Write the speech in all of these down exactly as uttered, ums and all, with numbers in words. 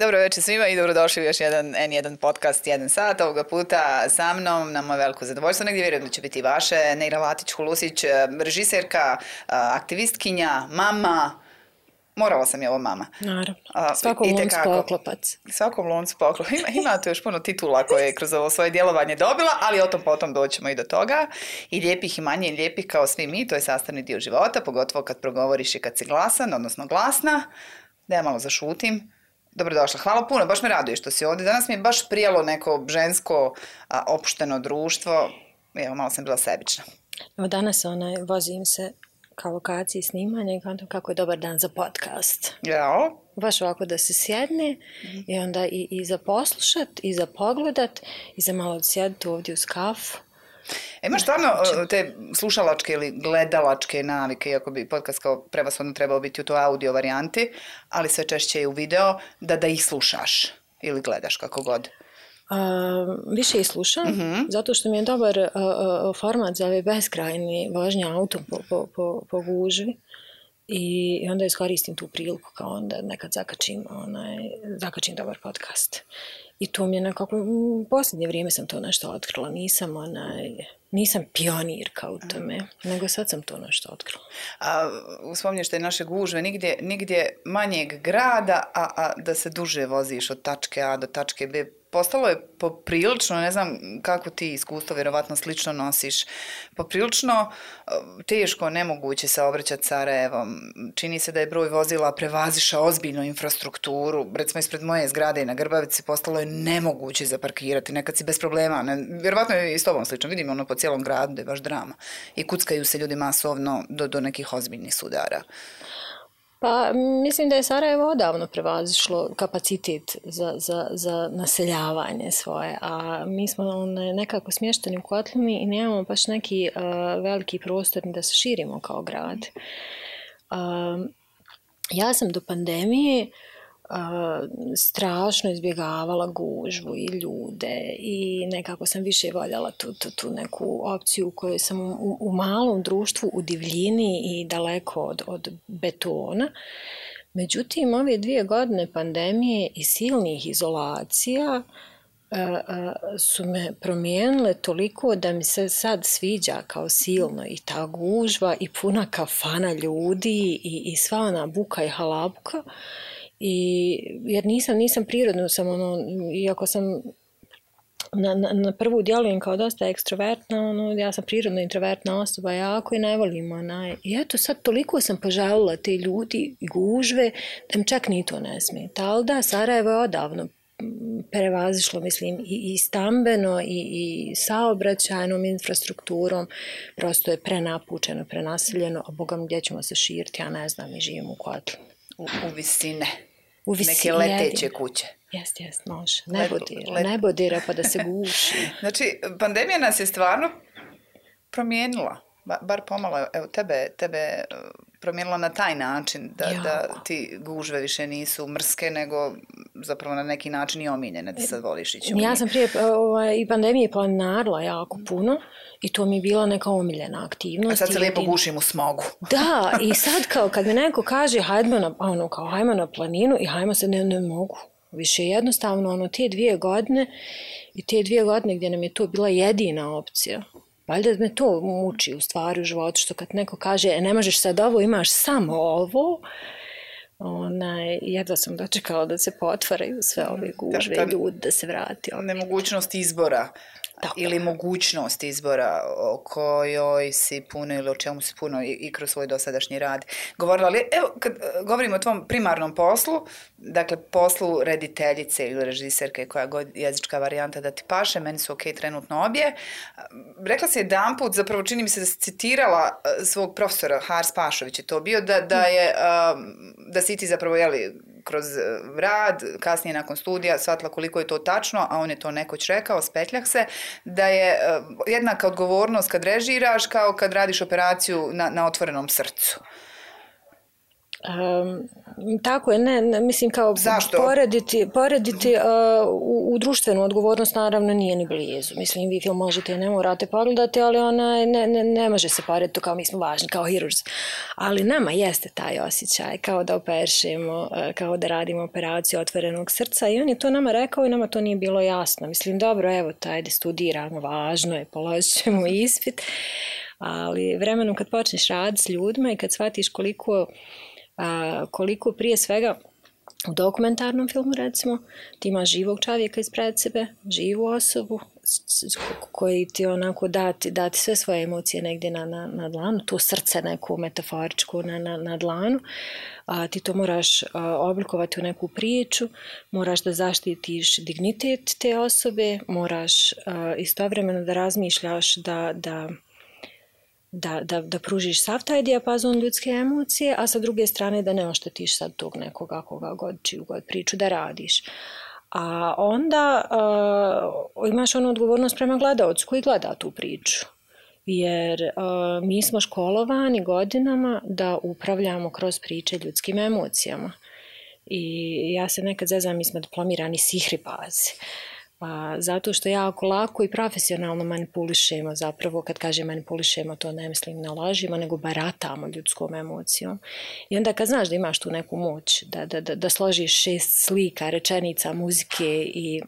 Dobro večer svima i dobrodošli u još jedan en jedan podcast, jedan sat. Ovoga puta sa mnom, na moje veliko zadovoljstvo, negdje vjerujem da će biti vaše, Neira Latić-Hulusić, režiserka, aktivistkinja, mama. Morala sam je ovo mama. Naravno. Svakom loncu poklopac. Svakom loncu poklopac. Ima, ima tu još puno titula koje je kroz ovo svoje djelovanje dobila, ali o tom potom doćemo i do toga. I lijepih i manje lijepih kao svi mi, to je sastavni dio života, pogotovo kad progovoriš i kad si glasan, odnosno glasna. Da ja malo zašutim. Dobrodošla, hvala puno, baš me raduje što si ovdje. Danas mi je baš prijalo neko žensko a, opušteno društvo. Evo, malo sam bila sebična. Evo danas onaj, vozim se ka lokaciji snimanja i kantam kako je dobar dan za podcast. Jao. Baš ovako da se sjedne mm-hmm. i onda i, i za poslušat, i za pogledat, i za malo sjediti ovdje uz kafu. E, imaš stvarno te slušalačke ili gledalačke navike, iako bi podcast kao prevashodno trebao biti u toj audio varijanti, ali sve češće je u video, da da ih slušaš ili gledaš kako god. A, više ih slušam, mm-hmm. zato što mi je dobar a, a, format za ove beskrajni vožnje autom po, po, po, po gužvi. I, I onda iskoristim tu priliku kao onda nekad zakačim, onaj, zakačim dobar podcast. I to mi je nekako, u posljednje vrijeme sam to nešto otkrila, nisam onaj, nisam pionirka u tome, mm. nego sad sam to nešto otkrila. A uspomnješ te naše gužve, nigdje, nigdje manjeg grada, a, a da se duže voziš od tačke A do tačke B. Postalo je poprilično, ne znam kako ti iskustvo vjerovatno slično nosiš, poprilično teško, nemoguće se obraćati Sarajevom. Čini se da je broj vozila prevazišao ozbiljnu infrastrukturu. Recimo ispred moje zgrade i na Grbavici postalo je nemoguće zaparkirati. Nekad si bez problema. Ne, vjerovatno je i s tobom slično. Vidimo ono po cijelom gradu da je baš drama. I kuckaju se ljudi masovno do, do nekih ozbiljnih sudara. Pa mislim da je Sarajevo odavno prevazišlo kapacitet za, za, za naseljavanje svoje, a mi smo nekako smješteni u kotlini i nemamo baš neki uh, veliki prostor da se širimo kao grad. Uh, ja sam do pandemije uh, strašno izbjegavala gužvu i ljude i nekako sam više voljela tu, tu, tu neku opciju u kojoj sam u, u malom društvu u divljini i daleko od, od betona. Međutim, ove dvije godine pandemije i silnih izolacija uh, uh, su me promijenile toliko da mi se sad sviđa kao silno i ta gužva i puna kafana ljudi i, i sva ona buka i halabuka. I, jer nisam, nisam prirodno, sam ono, iako sam na, na, na prvu djelujem kao dosta ekstrovertna, ono, ja sam prirodno introvertna osoba jako i ne volim onaj. I eto sad toliko sam požalila te ljudi i gužve da mi čak ni to ne smeta. Ali da, Sarajevo je odavno prevazišlo, mislim, i, i stambeno i, i saobraćajnom infrastrukturom. Prosto je prenapučeno, prenaseljeno, a Boga mi gdje ćemo se širiti, ja ne znam, mi živimo u kotlu. U, u visine. U visine. Neke leteće kuće. Jest, jest, može. Nebodira, let... nebodira pa da se guši. Znači, pandemija nas je stvarno promijenila. Ba, bar pomalo, evo, tebe, tebe promijenila na taj način da, da ti gužve više nisu mrske, nego zapravo na neki način i omiljene da sad voliš ići u njih. Ja sam prije ovaj, i pandemije planarila jako puno i to mi je bila neka omiljena aktivnost. A sad se lijepo gušim u smogu. Da, i sad kao kad mi neko kaže hajmo na, ono, kao, hajmo na planinu i hajmo se, ne, ne mogu. Više jednostavno, ono, te dvije godine i te dvije godine gdje nam je to bila jedina opcija. Valjda me to muči u stvari u životu, što kad neko kaže e, ne možeš sad ovo, imaš samo ovo, onaj, jedva sam dočekala da se potvaraju sve ove gužve i ljudi da se vrati. Nemogućnost izbora. Tako. Ili mogućnost izbora o kojoj si puno ili o čemu si puno i, i kroz svoj dosadašnji rad govorila. Ali evo, kad govorimo o tvom primarnom poslu, dakle poslu rediteljice ili režiserke, koja god jezička varijanta da ti paše, meni su ok trenutno obje. Rekla si jedan put, zapravo čini mi se da si citirala svog profesora Hars Pašović je to bio, da, da, je, da si ti zapravo, jeli, kroz rad, kasnije nakon studija, shvatila koliko je to tačno, a on je to nekoć rekao, spetljah se, da je jednaka odgovornost kad režiraš kao kad radiš operaciju na, na otvorenom srcu. Um, tako je, ne, ne mislim kao Zašto? porediti, porediti uh, u, u društvenu odgovornost naravno nije ni blizu. Mislim, vi film možete i ne morate pogledati, ali ona ne, ne, ne može se porediti kao mi smo važni, kao heroes. Ali nama jeste taj osjećaj, kao da operšemo, uh, kao da radimo operaciju otvorenog srca i on je to nama rekao i nama to nije bilo jasno. Mislim, dobro, evo, tajde studiramo, važno je, položit ćemo ispit, ali vremenom kad počneš raditi s ljudima i kad shvatiš koliko A, koliko prije svega u dokumentarnom filmu recimo ti imaš živog čovjeka ispred sebe, živu osobu koji ti onako dati, dati sve svoje emocije negdje na, na, na dlanu, to srce neku metaforičku na, na, na dlanu, a, ti to moraš a, oblikovati u neku priču, moraš da zaštitiš dignitet te osobe, moraš a, istovremeno da razmišljaš da, da Da, da, da pružiš sav taj dijapazon ljudske emocije, a sa druge strane da ne oštetiš sad tog nekoga koga god, čiju god priču da radiš. A onda uh, imaš onu odgovornost prema gledaocu koji gleda tu priču. Jer uh, mi smo školovani godinama da upravljamo kroz priče ljudskim emocijama. I ja se nekad zezam, mi smo diplomirani sihribazi. A, zato što jako lako i profesionalno manipulišemo, zapravo kad kažem manipulišemo to ne mislim na lažima, nego baratamo ljudskom emocijom. I onda kad znaš da imaš tu neku moć, da, da, da, da složiš šest slika, rečenica, muzike i,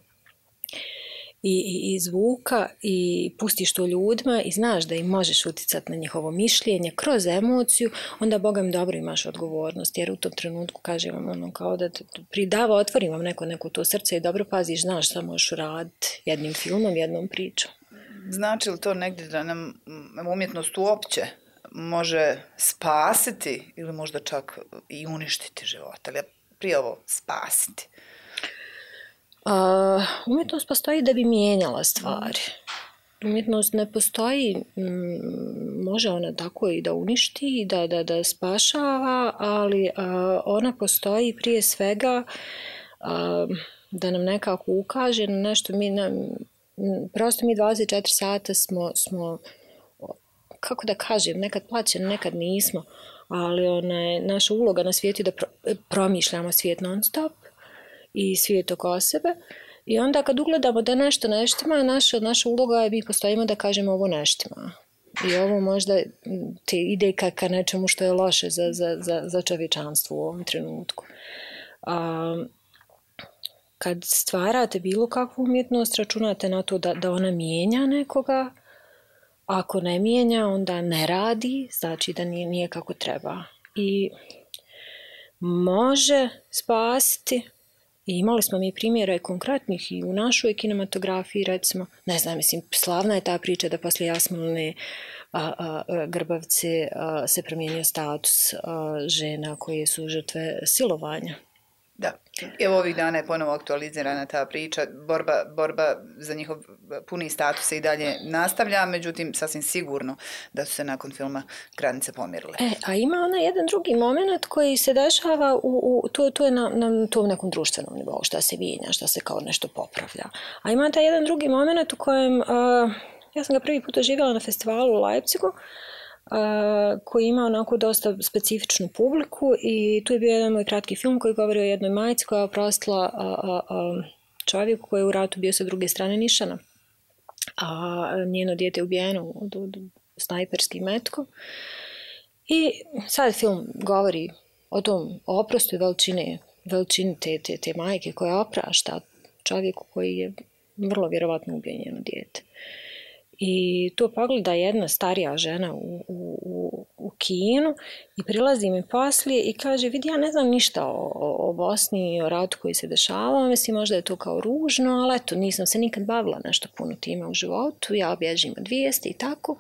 i, i, i zvuka i pustiš to ljudima i znaš da im možeš uticati na njihovo mišljenje kroz emociju, onda Boga mi dobro imaš odgovornost, jer u tom trenutku kažem vam ono kao da pridava, otvorim vam neko, neko to srce i dobro paziš, znaš šta možeš uraditi jednim filmom, jednom pričom. Znači li to negdje da nam umjetnost uopće može spasiti ili možda čak i uništiti život, ali prije ovo spasiti? Uh, umjetnost postoji da bi mijenjala stvari. Umjetnost ne postoji, m, može ona tako i da uništi, da, da, da spašava, ali uh, ona postoji prije svega uh, da nam nekako ukaže na nešto. Mi, na, prosto mi dvadeset četiri sata smo, smo, kako da kažem, nekad plaćeni, nekad nismo, ali ona je naša uloga na svijetu da pro, promišljamo svijet non stop i svijet oko sebe. I onda kad ugledamo da nešto neštima, naša, naša uloga je mi postojimo da kažemo ovo neštima. I ovo možda te ide ka, ka nečemu što je loše za, za, za, za čovječanstvo u ovom trenutku. A, kad stvarate bilo kakvu umjetnost, računate na to da, da ona mijenja nekoga. Ako ne mijenja, onda ne radi, znači da nije, nije kako treba. I može spasiti. I imali smo mi primjera i konkretnih i u našoj kinematografiji, recimo, ne znam, mislim, slavna je ta priča da poslije Jasmine a, a, a, Grbavce a, se promijenio status a, žena koje su žrtve silovanja. Da, evo ovih dana je ponovo aktualizirana ta priča, borba, borba za njihov puni status se i dalje nastavlja, međutim sasvim sigurno da su se nakon filma granice pomirile. E, a ima ona jedan drugi moment koji se dešava, u, u, to, to je na, na tom nekom društvenom nivou, šta se mijenja, šta se kao nešto popravlja. A ima taj jedan drugi moment u kojem, uh, ja sam ga prvi put doživjela na festivalu u Leipzigu, Uh, koji ima onako dosta specifičnu publiku i tu je bio jedan moj kratki film koji govori o jednoj majci koja je oprostila uh, uh, uh, čovjeku koji je u ratu bio sa druge strane nišana, a njeno dijete je ubijeno od, od snajperskim metkom. I sad film govori o tom oprostu i veličini, veličini te, te, te majke koja oprašta čovjeku koji je vrlo vjerovatno ubio njeno dijete. I to pogleda jedna starija žena u, u, u kinu i prilazi mi poslije i kaže, vidi, ja ne znam ništa o, o, o Bosni i o ratu koji se dešava, mislim možda je to kao ružno, ali eto, nisam se nikad bavila nešto puno time u životu, ja bježim od vijesti i tako,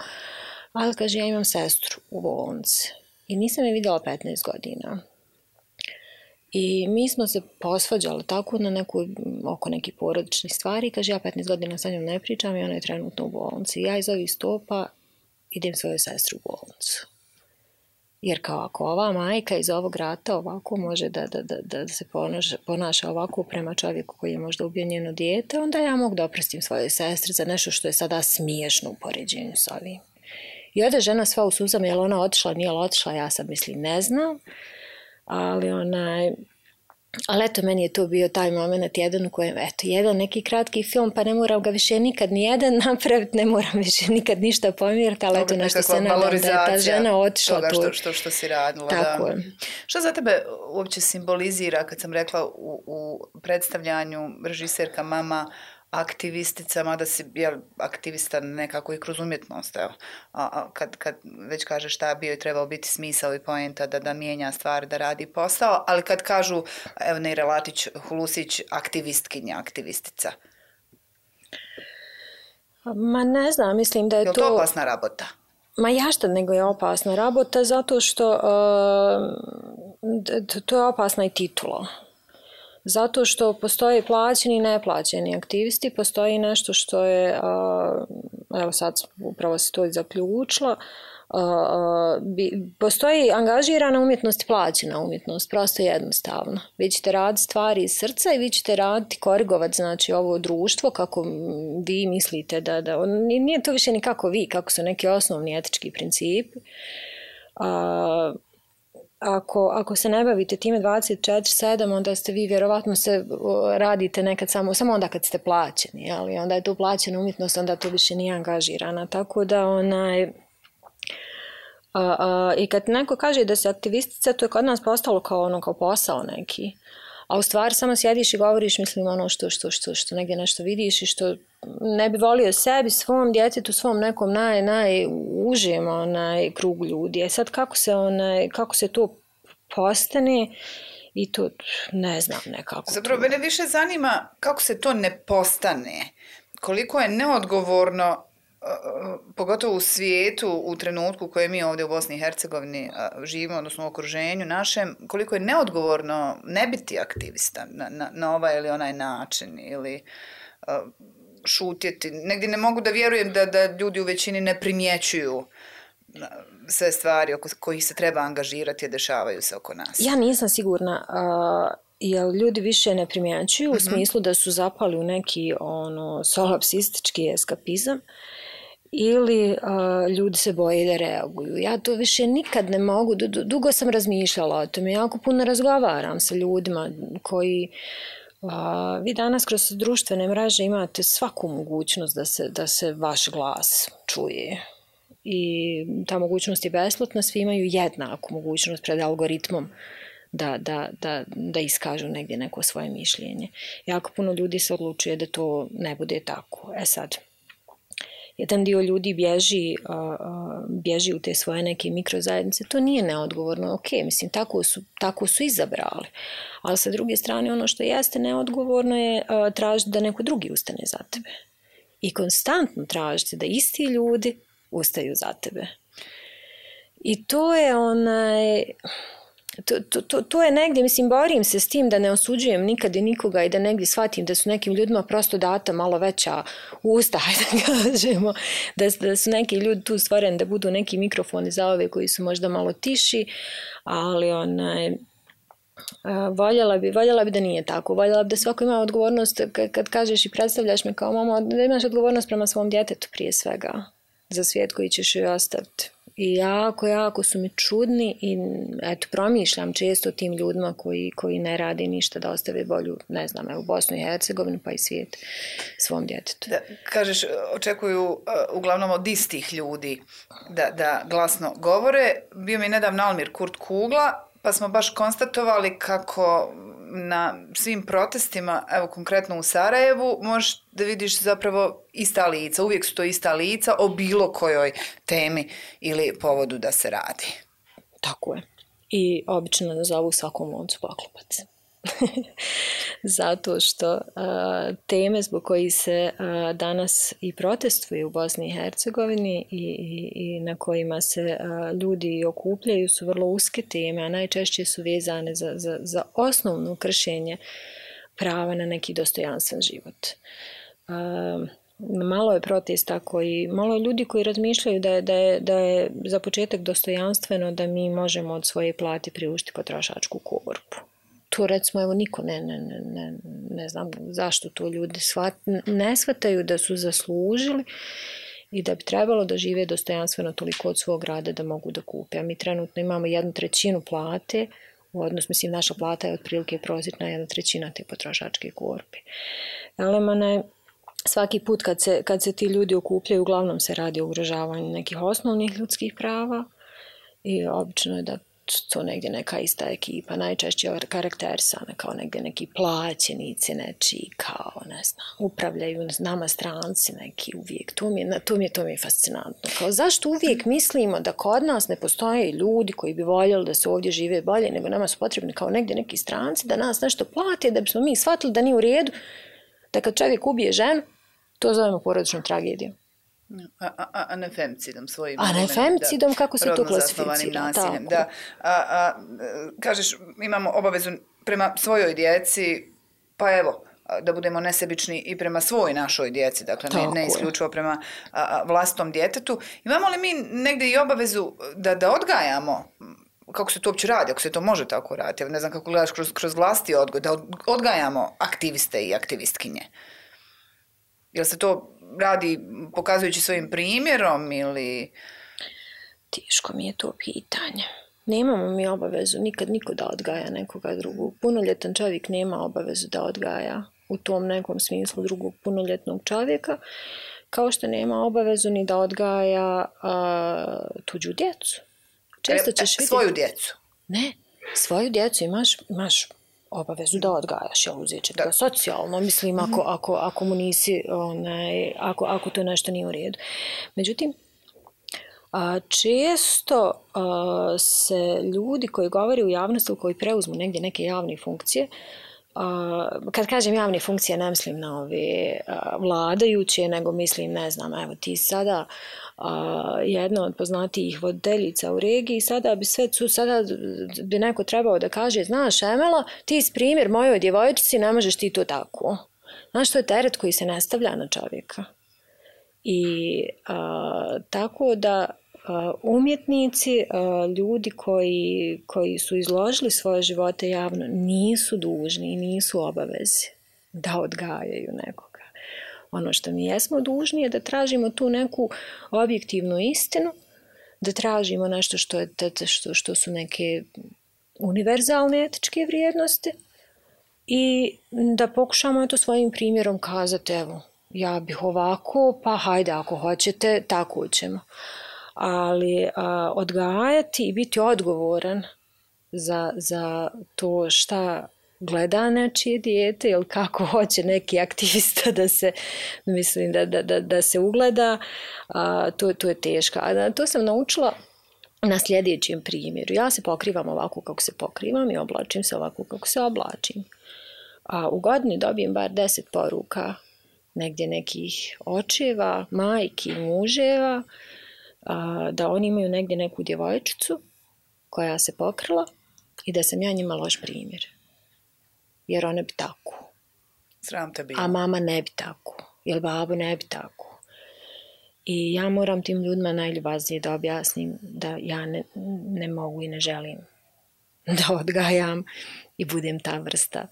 ali kaže, ja imam sestru u bolnici i nisam je vidjela petnaest godina. I mi smo se posvađali tako na neku, oko nekih porodičnih stvari. Kaže, ja petnaest godina sa njom ne pričam i ona je trenutno u bolnici. Ja iz ovih stopa idem svoju sestru u bolnicu. Jer kao ako ova majka iz ovog rata ovako može da, da, da, da se ponaša, ponaša ovako prema čovjeku koji je možda ubio njeno dijete, onda ja mogu da oprostim svoje sestre za nešto što je sada smiješno u poređenju s ovim. I ode žena sva u suzama, je li ona otišla, nije li otišla, ja sad mislim ne znam. ali onaj, ali eto, meni je to bio taj moment jedan u kojem, eto, jedan neki kratki film, pa ne moram ga više nikad ni jedan napraviti, ne moram više nikad ništa pomjeriti, ali eto, nešto se nadam da je ta žena otišla toga što, što, što si radila. Tako da. je. Što za tebe uopće simbolizira, kad sam rekla u, u predstavljanju režiserka mama, aktivistica, mada si jel, aktivista nekako i kroz umjetnost, evo. A, a kad, kad već kažeš šta bio i trebao biti smisao i poenta da, da mijenja stvari, da radi posao, ali kad kažu, evo Neira Latić Hulusić, aktivistkinja, aktivistica. Ma ne znam, mislim da je, je to... Je to opasna rabota? Ma jašta nego je opasna rabota, zato što uh, to je opasna i titula. Zato što postoje plaćeni i neplaćeni aktivisti, postoji nešto što je, evo sad upravo se to i zaključilo, postoji angažirana umjetnost i plaćena umjetnost, prosto jednostavno. Vi ćete raditi stvari iz srca i vi ćete raditi, korigovati znači ovo društvo kako vi mislite da, da nije to više ni kako vi, kako su neki osnovni etički principi. Ako, ako se ne bavite time dvadeset četiri sedam, onda ste vi vjerovatno se radite nekad samo, samo onda kad ste plaćeni, ali onda je to plaćena umjetnost, onda to više nije angažirana. Tako da onaj... A, a, i kad neko kaže da se aktivistica, to je kod nas postalo kao ono, kao posao neki. A u stvari samo sjediš i govoriš, mislim, ono što, što, što, što negdje nešto vidiš i što ne bi volio sebi, svom djetetu, svom nekom naj, najužem onaj krug ljudi. E sad kako se, onaj, kako se to postane i to ne znam nekako. Zapravo, mene više zanima kako se to ne postane. Koliko je neodgovorno, pogotovo u svijetu, u trenutku u kojem mi ovdje u Bosni i Hercegovini živimo, odnosno u okruženju našem, koliko je neodgovorno ne biti aktivista na, na, na ovaj ili onaj način ili uh, šutjeti. Negdje ne mogu da vjerujem da, da ljudi u većini ne primjećuju sve stvari oko kojih se treba angažirati, a dešavaju se oko nas. Ja nisam sigurna... Uh... Jer ljudi više ne primjećuju mm-hmm. u smislu da su zapali u neki ono, solipsistički eskapizam ili uh, ljudi se boje da reaguju. Ja to više nikad ne mogu, dugo sam razmišljala o tome, jako puno razgovaram sa ljudima koji, uh, vi danas kroz društvene mreže imate svaku mogućnost da se, da se vaš glas čuje. I ta mogućnost je besplatna, svi imaju jednaku mogućnost pred algoritmom Da, da, da, da iskažu negdje neko svoje mišljenje. Jako puno ljudi se odlučuje da to ne bude tako. E sad, jedan dio ljudi bježi, uh, bježi u te svoje neke mikrozajednice, to nije neodgovorno, ok, mislim, tako su, tako su izabrali. Ali sa druge strane, ono što jeste neodgovorno je uh, tražiti da neko drugi ustane za tebe. I konstantno tražiti da isti ljudi ustaju za tebe. I to je onaj... To, to, to, to je negdje, mislim, borim se s tim da ne osuđujem nikad i nikoga i da negdje shvatim da su nekim ljudima prosto data malo veća usta, da kažemo, da, da su neki ljudi tu stvoreni da budu neki mikrofoni za ove koji su možda malo tiši, ali onaj, voljela bi, voljela bi da nije tako, voljela bi da svako ima odgovornost, kad, kad kažeš i predstavljaš me kao mama, da imaš odgovornost prema svom djetetu prije svega, za svijet koji ćeš joj ostaviti. I jako, jako su mi čudni i eto, promišljam često o tim ljudima koji, koji ne rade ništa da ostave bolju, ne znam, evo, Bosnu i Hercegovinu pa i svijet svom djetetu. Da, kažeš, očekuju uh, uglavnom od istih ljudi da, da glasno govore. Bio mi nedavno Almir Kurt Kugla, pa smo baš konstatovali kako na svim protestima, evo konkretno u Sarajevu, možeš da vidiš zapravo ista lica. Uvijek su to ista lica o bilo kojoj temi ili povodu da se radi. Tako je. I obično nazovu svakom loncu poklopac. Zato što a, teme zbog koji se a, danas i protestuje u Bosni i Hercegovini i, i, i na kojima se a, ljudi okupljaju su vrlo uske teme, a najčešće su vezane za, za, za osnovno kršenje prava na neki dostojanstven život. A, malo je protesta koji, malo je ljudi koji razmišljaju da je, da je, da je za početak dostojanstveno da mi možemo od svoje plate priuštiti potrošačku korpu. To recimo, evo, niko ne, ne, ne, ne, ne znam zašto to ljudi shvat, ne shvataju da su zaslužili i da bi trebalo da žive dostojanstveno toliko od svog rada da mogu da kupe. A mi trenutno imamo jednu trećinu plate u odnosu, mislim, naša plata je otprilike prosječna jedna trećina te potrošačke korpe. Elemane, svaki put kad se, kad se ti ljudi okupljaju, uglavnom se radi o ugrožavanju nekih osnovnih ljudskih prava i obično je da to negdje neka ista ekipa, najčešće karakterisana kao negdje neki plaćenici nečiji, kao, ne znam, upravljaju nama stranci neki uvijek. To mi je, to mi je, to mi je fascinantno. Kao, zašto uvijek mislimo da kod nas ne postoje ljudi koji bi voljeli da se ovdje žive bolje, nego nama su potrebni kao negdje neki stranci, da nas nešto plate, da bismo mi shvatili da nije u redu, da kad čovjek ubije ženu, to zovemo porodičnom tragedijom. A, a, a ne femcidom svojim. A ne femcidom, kako se to klasificira? Da. A, a, kažeš, imamo obavezu prema svojoj djeci, pa evo, da budemo nesebični i prema svoj našoj djeci, dakle ne, ne isključivo prema a, a, vlastitom djetetu. Imamo li mi negdje i obavezu da, da odgajamo, kako se to uopće radi, ako se to može tako raditi, ne znam kako gledaš kroz, kroz vlasti odgoj, da odgajamo aktiviste i aktivistkinje? Jel se to radi pokazujući svojim primjerom ili... Teško mi je to pitanje. Nemamo mi obavezu nikad niko da odgaja nekoga drugog. Punoljetan čovjek nema obavezu da odgaja u tom nekom smislu drugog punoljetnog čovjeka, kao što nema obavezu ni da odgaja a, tuđu djecu. Često ćeš vidjeti... Svoju djecu? Ne, svoju djecu imaš... imaš obavezu da odgajaš, jel uzet će to socijalno, mislim, ako, ako, ako mu nisi, onaj, ako, ako to nešto nije u redu. Međutim, a, često a, se ljudi koji govore u javnosti, koji preuzmu negdje neke javne funkcije, a, kad kažem javne funkcije, ne mislim na ove a, vladajuće, nego mislim, ne znam, evo ti sada a, jedna od poznatijih voditeljica u regiji, sada bi sve, sada bi neko trebao da kaže, znaš, Emela, ti si primjer mojoj djevojčici, ne možeš ti to tako. Znaš, to je teret koji se ne stavlja na čovjeka. I a, tako da a, umjetnici, a, ljudi koji, koji su izložili svoje živote javno, nisu dužni i nisu obavezi da odgajaju nekoga. Ono što mi jesmo dužni je da tražimo tu neku objektivnu istinu, da tražimo nešto što, je, što, što su neke univerzalne etičke vrijednosti i da pokušamo eto svojim primjerom kazati, evo, ja bih ovako, pa hajde ako hoćete, tako ćemo. Ali a, odgajati i biti odgovoran za, za to šta gleda nečije dijete ili kako hoće neki aktivista da se, mislim, da, da, da, da se ugleda, a, to, to je teško. A to sam naučila na sljedećem primjeru. Ja se pokrivam ovako kako se pokrivam i oblačim se ovako kako se oblačim. A u godini dobijem bar deset poruka negdje nekih očeva, majki, muževa, a, da oni imaju negdje neku djevojčicu koja se pokrila i da sam ja njima loš primjer. Jer one bi tako. Sram te bilo. A mama ne bi tako. Jer babo ne bi tako. I ja moram tim ljudima najljubaznije da objasnim da ja ne, ne mogu i ne želim da odgajam i budem ta vrsta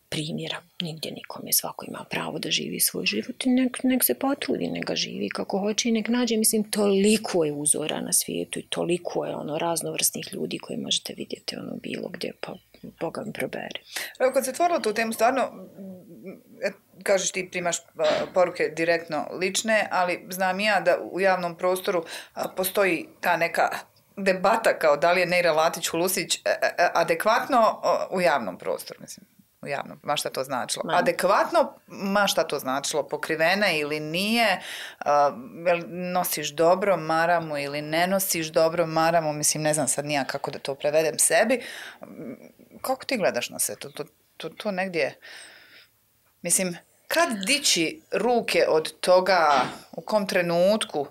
primjera. Nigdje nikom je, svako ima pravo da živi svoj život i nek, nek se potrudi, nek ga živi kako hoće i nek nađe. Mislim, toliko je uzora na svijetu i toliko je ono raznovrsnih ljudi koji možete vidjeti ono bilo gdje, pa Boga mi probere. Evo, kad se otvorilo tu temu, stvarno, kažeš ti primaš poruke direktno lične, ali znam ja da u javnom prostoru postoji ta neka debata kao da li je Neira Latić-Hulusić adekvatno u javnom prostoru, mislim. U javnom, ma šta to značilo. Man. Adekvatno, ma šta to značilo, pokrivena ili nije, uh, nosiš dobro maramu ili ne nosiš dobro maramu, mislim, ne znam sad nija kako da to prevedem sebi. Kako ti gledaš na sve to? To, to, to negdje, mislim, kad dići ruke od toga, u kom trenutku,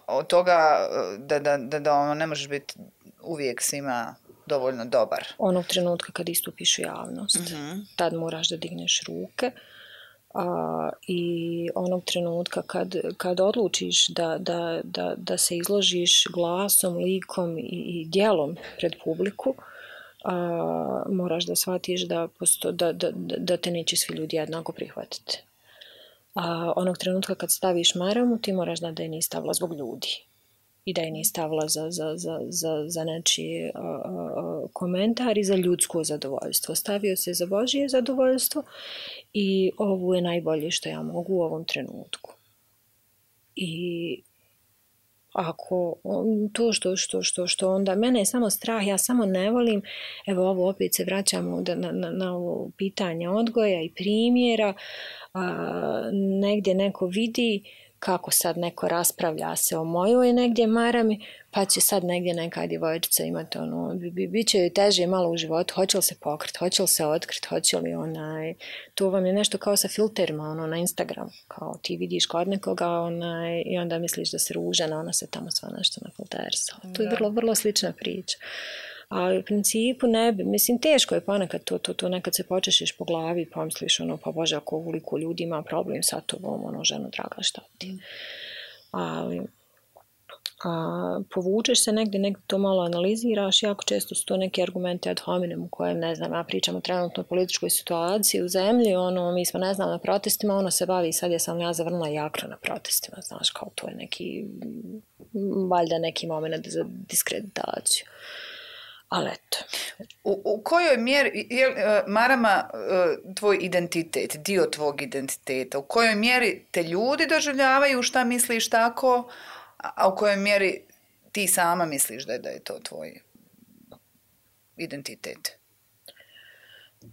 od toga da, da, da, da ono ne možeš biti uvijek svima dovoljno dobar. Onog trenutka kad istupiš u javnost, mm-hmm. tad moraš da digneš ruke a, i onog trenutka kad, kad odlučiš da, da, da, da se izložiš glasom, likom i, i djelom pred publiku, a, moraš da shvatiš da, posto, da, da, da te neće svi ljudi jednako prihvatiti. A, onog trenutka kad staviš maramu, ti moraš da da je nisi stavila zbog ljudi, i da je nije stavila za, za, za, za, za nečiji uh, uh, komentar i za ljudsko zadovoljstvo. Stavio se za Božje zadovoljstvo i ovo je najbolje što ja mogu u ovom trenutku. I ako to što, što, što, što onda mene je samo strah, ja samo ne volim, evo ovo opet se vraćamo na, na, na ovo pitanje odgoja i primjera, a, negdje neko vidi kako sad neko raspravlja se o mojoj negdje marami, pa će sad negdje neka djevojčica imati ono, bi, bit će joj teže malo u životu, hoće li se pokriti, hoće li se otkriti, hoće li onaj, to vam je nešto kao sa filterima ono, na Instagram, kao ti vidiš kod nekoga onaj, i onda misliš da se ružena, ona se tamo sva nešto nafilterisala. To je vrlo, vrlo slična priča. Ali u principu ne bi, mislim teško je ponekad to, to, to nekad se počešiš po glavi i pomisliš ono, pa Bože, ako uliko ljudi ima problem sa tobom, ono, ženo draga, šta ti. Ali a, povučeš se negdje, negdje to malo analiziraš, jako često su to neki argumenti ad hominem u kojem, ne znam, ja pričam o trenutno političkoj situaciji u zemlji, ono, mi smo, ne znam, na protestima, ono se bavi, sad je sam ja zavrnula jakro na protestima, znaš, kao to je neki, valjda neki moment za diskreditaciju. Ali eto. U, u kojoj mjeri, je uh, marama uh, tvoj identitet, dio tvog identiteta, u kojoj mjeri te ljudi doživljavaju šta misliš tako, a u kojoj mjeri ti sama misliš da je, da je to tvoj identitet?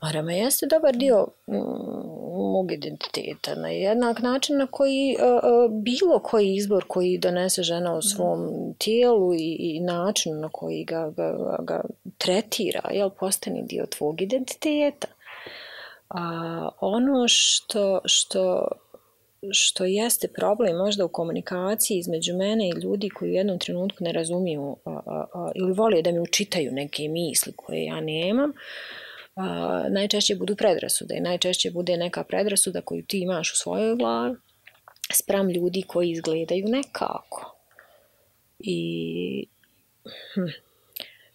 Marama jeste dobar dio mm, mog identiteta. Na jednak način na koji uh, bilo koji izbor koji donese žena u svom tijelu i, i način na koji ga, ga, ga tretira, jel, postane dio tvog identiteta. A ono što, što, što jeste problem možda u komunikaciji između mene i ljudi koji u jednom trenutku ne razumiju a, a, a, ili vole da mi učitaju neke misli koje ja nemam, Uh, najčešće budu predrasude i najčešće bude neka predrasuda koju ti imaš u svojoj glavi spram ljudi koji izgledaju nekako. I hm,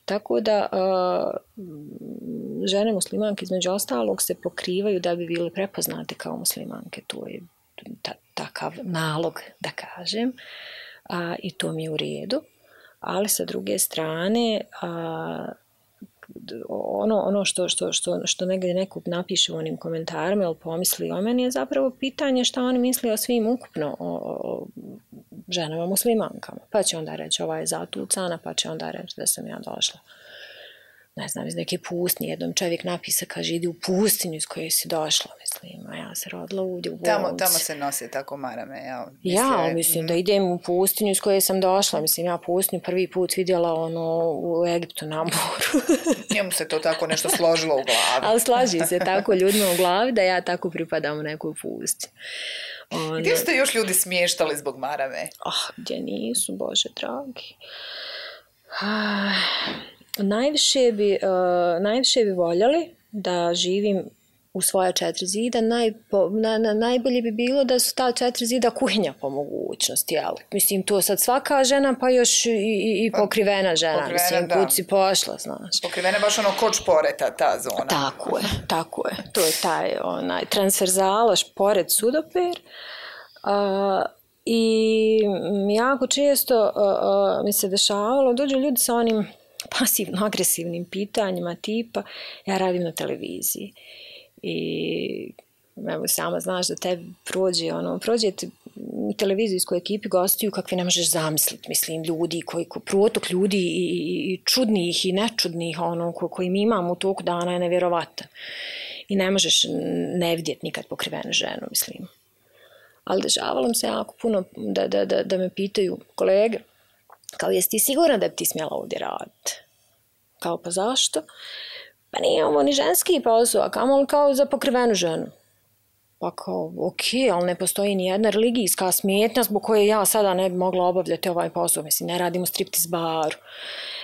tako da uh, žene muslimanke između ostalog se pokrivaju da bi bile prepoznate kao muslimanke. To je ta, takav nalog, da kažem, uh, i to mi je u redu. Ali sa druge strane, uh, ono, ono što, što, što, što negdje neko napiše u onim komentarima ili pomisli o meni je zapravo pitanje šta oni misli o svim ukupno o, o ženama muslimankama. Pa će onda reći ova je zatucana, pa će onda reći da sam ja došla, ne znam, iz neke pustinje. Jednom čovjek napisa, kaže, idi u pustinju iz koje si došla, mislim, a ja se rodila ovdje u Bolci. Tamo, tamo se nosi tako marame, ja. Mislim, ja, mislim, mm. da idem u pustinju iz koje sam došla, mislim, ja pustinju prvi put vidjela ono u Egiptu na moru. Njemu se to tako nešto složilo u glavi. Ali slaži se tako ljudima u glavi da ja tako pripadam u neku pustinju. Ono... Gdje ste još ljudi smještali zbog marame? Ah, gdje nisu, Bože dragi. Ah... Najviše bi, uh, najviše bi voljeli da živim u svoja četiri zida. Najpo, na, na, najbolje bi bilo da su ta četiri zida kuhinja po mogućnosti. Jel? Mislim, to sad svaka žena, pa još i, i, i pokrivena žena. Pokrivena, mislim, da. Kud si pošla, znaš. Pokrivena baš ono koč poreta, ta zona. Tako je, tako je. To je taj onaj transverzalaš pored sudoper. Uh, I jako često uh, uh, mi se dešavalo, dođu ljudi sa onim pasivno-agresivnim pitanjima tipa ja radim na televiziji i evo, sama znaš da tebi prođe ono, prođe te u televizijskoj ekipi gostuju kakve ne možeš zamisliti, mislim, ljudi koji, ko, protok ljudi i, i, i čudnih i nečudnih ono, ko, koji mi imamo u toku dana je nevjerovatan i ne možeš ne vidjeti nikad pokrivenu ženu, mislim. Ali dešavalo se jako puno da, da, da, da me pitaju kolege, kao jesi ti sigurna da bi ti smjela ovdje raditi? Kao pa zašto? Pa nije ovo ni ženski posao, a kamoli kao za pokrivenu ženu. Pa kao, ok, ali ne postoji ni jedna religijska smetnja zbog koje ja sada ne bi mogla obavljati ovaj posao. Mislim, ne radimo striptiz baru.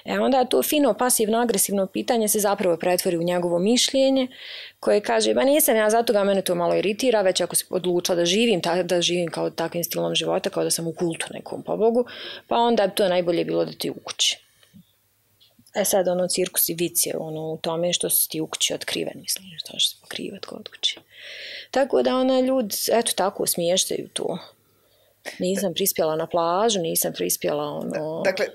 E onda to fino, pasivno, agresivno pitanje se zapravo pretvori u njegovo mišljenje koje kaže, ba nisam ja zato ga mene to malo iritira, već ako se odlučila da živim, ta, da živim kao takvim stilom života, kao da sam u kultu nekom pobogu, pa onda to najbolje bilo da ti u kući. E sad ono cirkus i vic je ono u tome što si ti u kući otkriven, mislim, što će se pokrivat kod kući. Tako da ona ljudi, eto tako, smještaju to. Nisam prispjela na plažu, nisam prispjela ono... Dakle,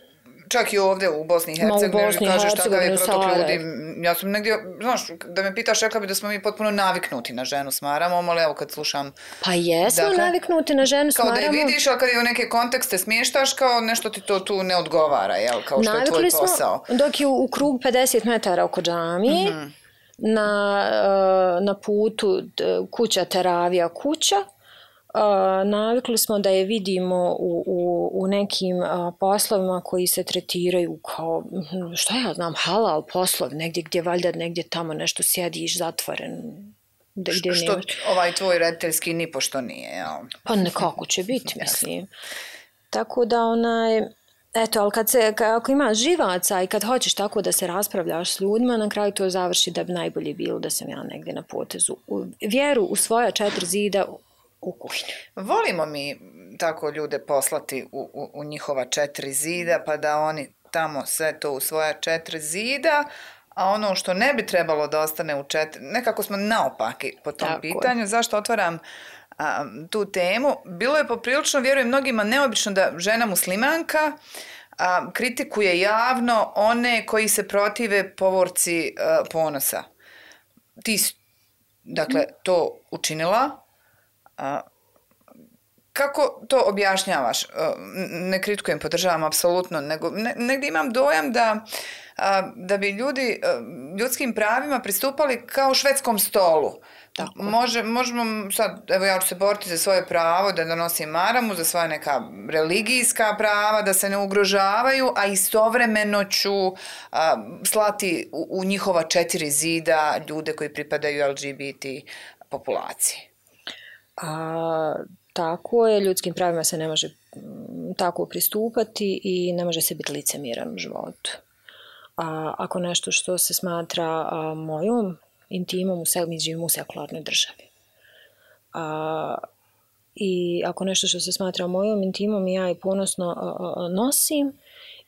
čak i ovdje u Bosni i Hercegovini kažeš takav je protok ljudi. Ja sam negdje, znaš, da me pitaš, rekla bi da smo mi potpuno naviknuti na ženu s maramom, ali evo kad slušam... Pa jesmo dakle, naviknuti na ženu s maramom. Kao da je vidiš, ali kad je u neke kontekste smještaš, kao nešto ti to tu ne odgovara, jel? Kao što navikli je tvoj posao. Smo, dok je u, u krug pedeset metara oko džamije, mm-hmm. na, na putu kuća teravija kuća, Uh, navikli smo da je vidimo u, u, u nekim uh, poslovima koji se tretiraju kao, što ja znam, halal poslov, negdje gdje valjda negdje tamo nešto sjediš zatvoren. Gdje, gdje što nemaš... ovaj tvoj rediteljski nipošto nije, jel? Pa nekako će biti, mislim. Tako da onaj... Eto, ali kad se, ako ima živaca i kad hoćeš tako da se raspravljaš s ljudima, na kraju to završi da bi najbolje bilo da sam ja negdje na potezu. U, vjeru u svoja četiri zida u kuhinju. Volimo mi tako ljude poslati u, u, u njihova četiri zida, pa da oni tamo sve to u svoja četiri zida, a ono što ne bi trebalo da ostane u četiri, nekako smo naopaki po tom tako pitanju. Je. Zašto otvaram a, tu temu? Bilo je poprilično, vjerujem mnogima, neobično da žena muslimanka a, kritikuje javno one koji se protive povorci a, ponosa. Ti si, dakle, to učinila. A, kako to objašnjavaš? Ne kritikujem, podržavam apsolutno, nego ne, negdje imam dojam da, a, da bi ljudi a, ljudskim pravima pristupali kao švedskom stolu. Tako. Može, možemo sad, evo ja ću se boriti za svoje pravo da donosim maramu, za svoje neka religijska prava, da se ne ugrožavaju, a istovremeno ću a, slati u, u njihova četiri zida ljude koji pripadaju L G B T populaciji. A, tako je, ljudskim pravima se ne može tako pristupati i ne može se biti licemjeran u životu. A, ako nešto što se smatra a, mojom intimom, mi živimo u sekularnoj državi. A, I ako nešto što se smatra mojom intimom, ja je ponosno a, a, nosim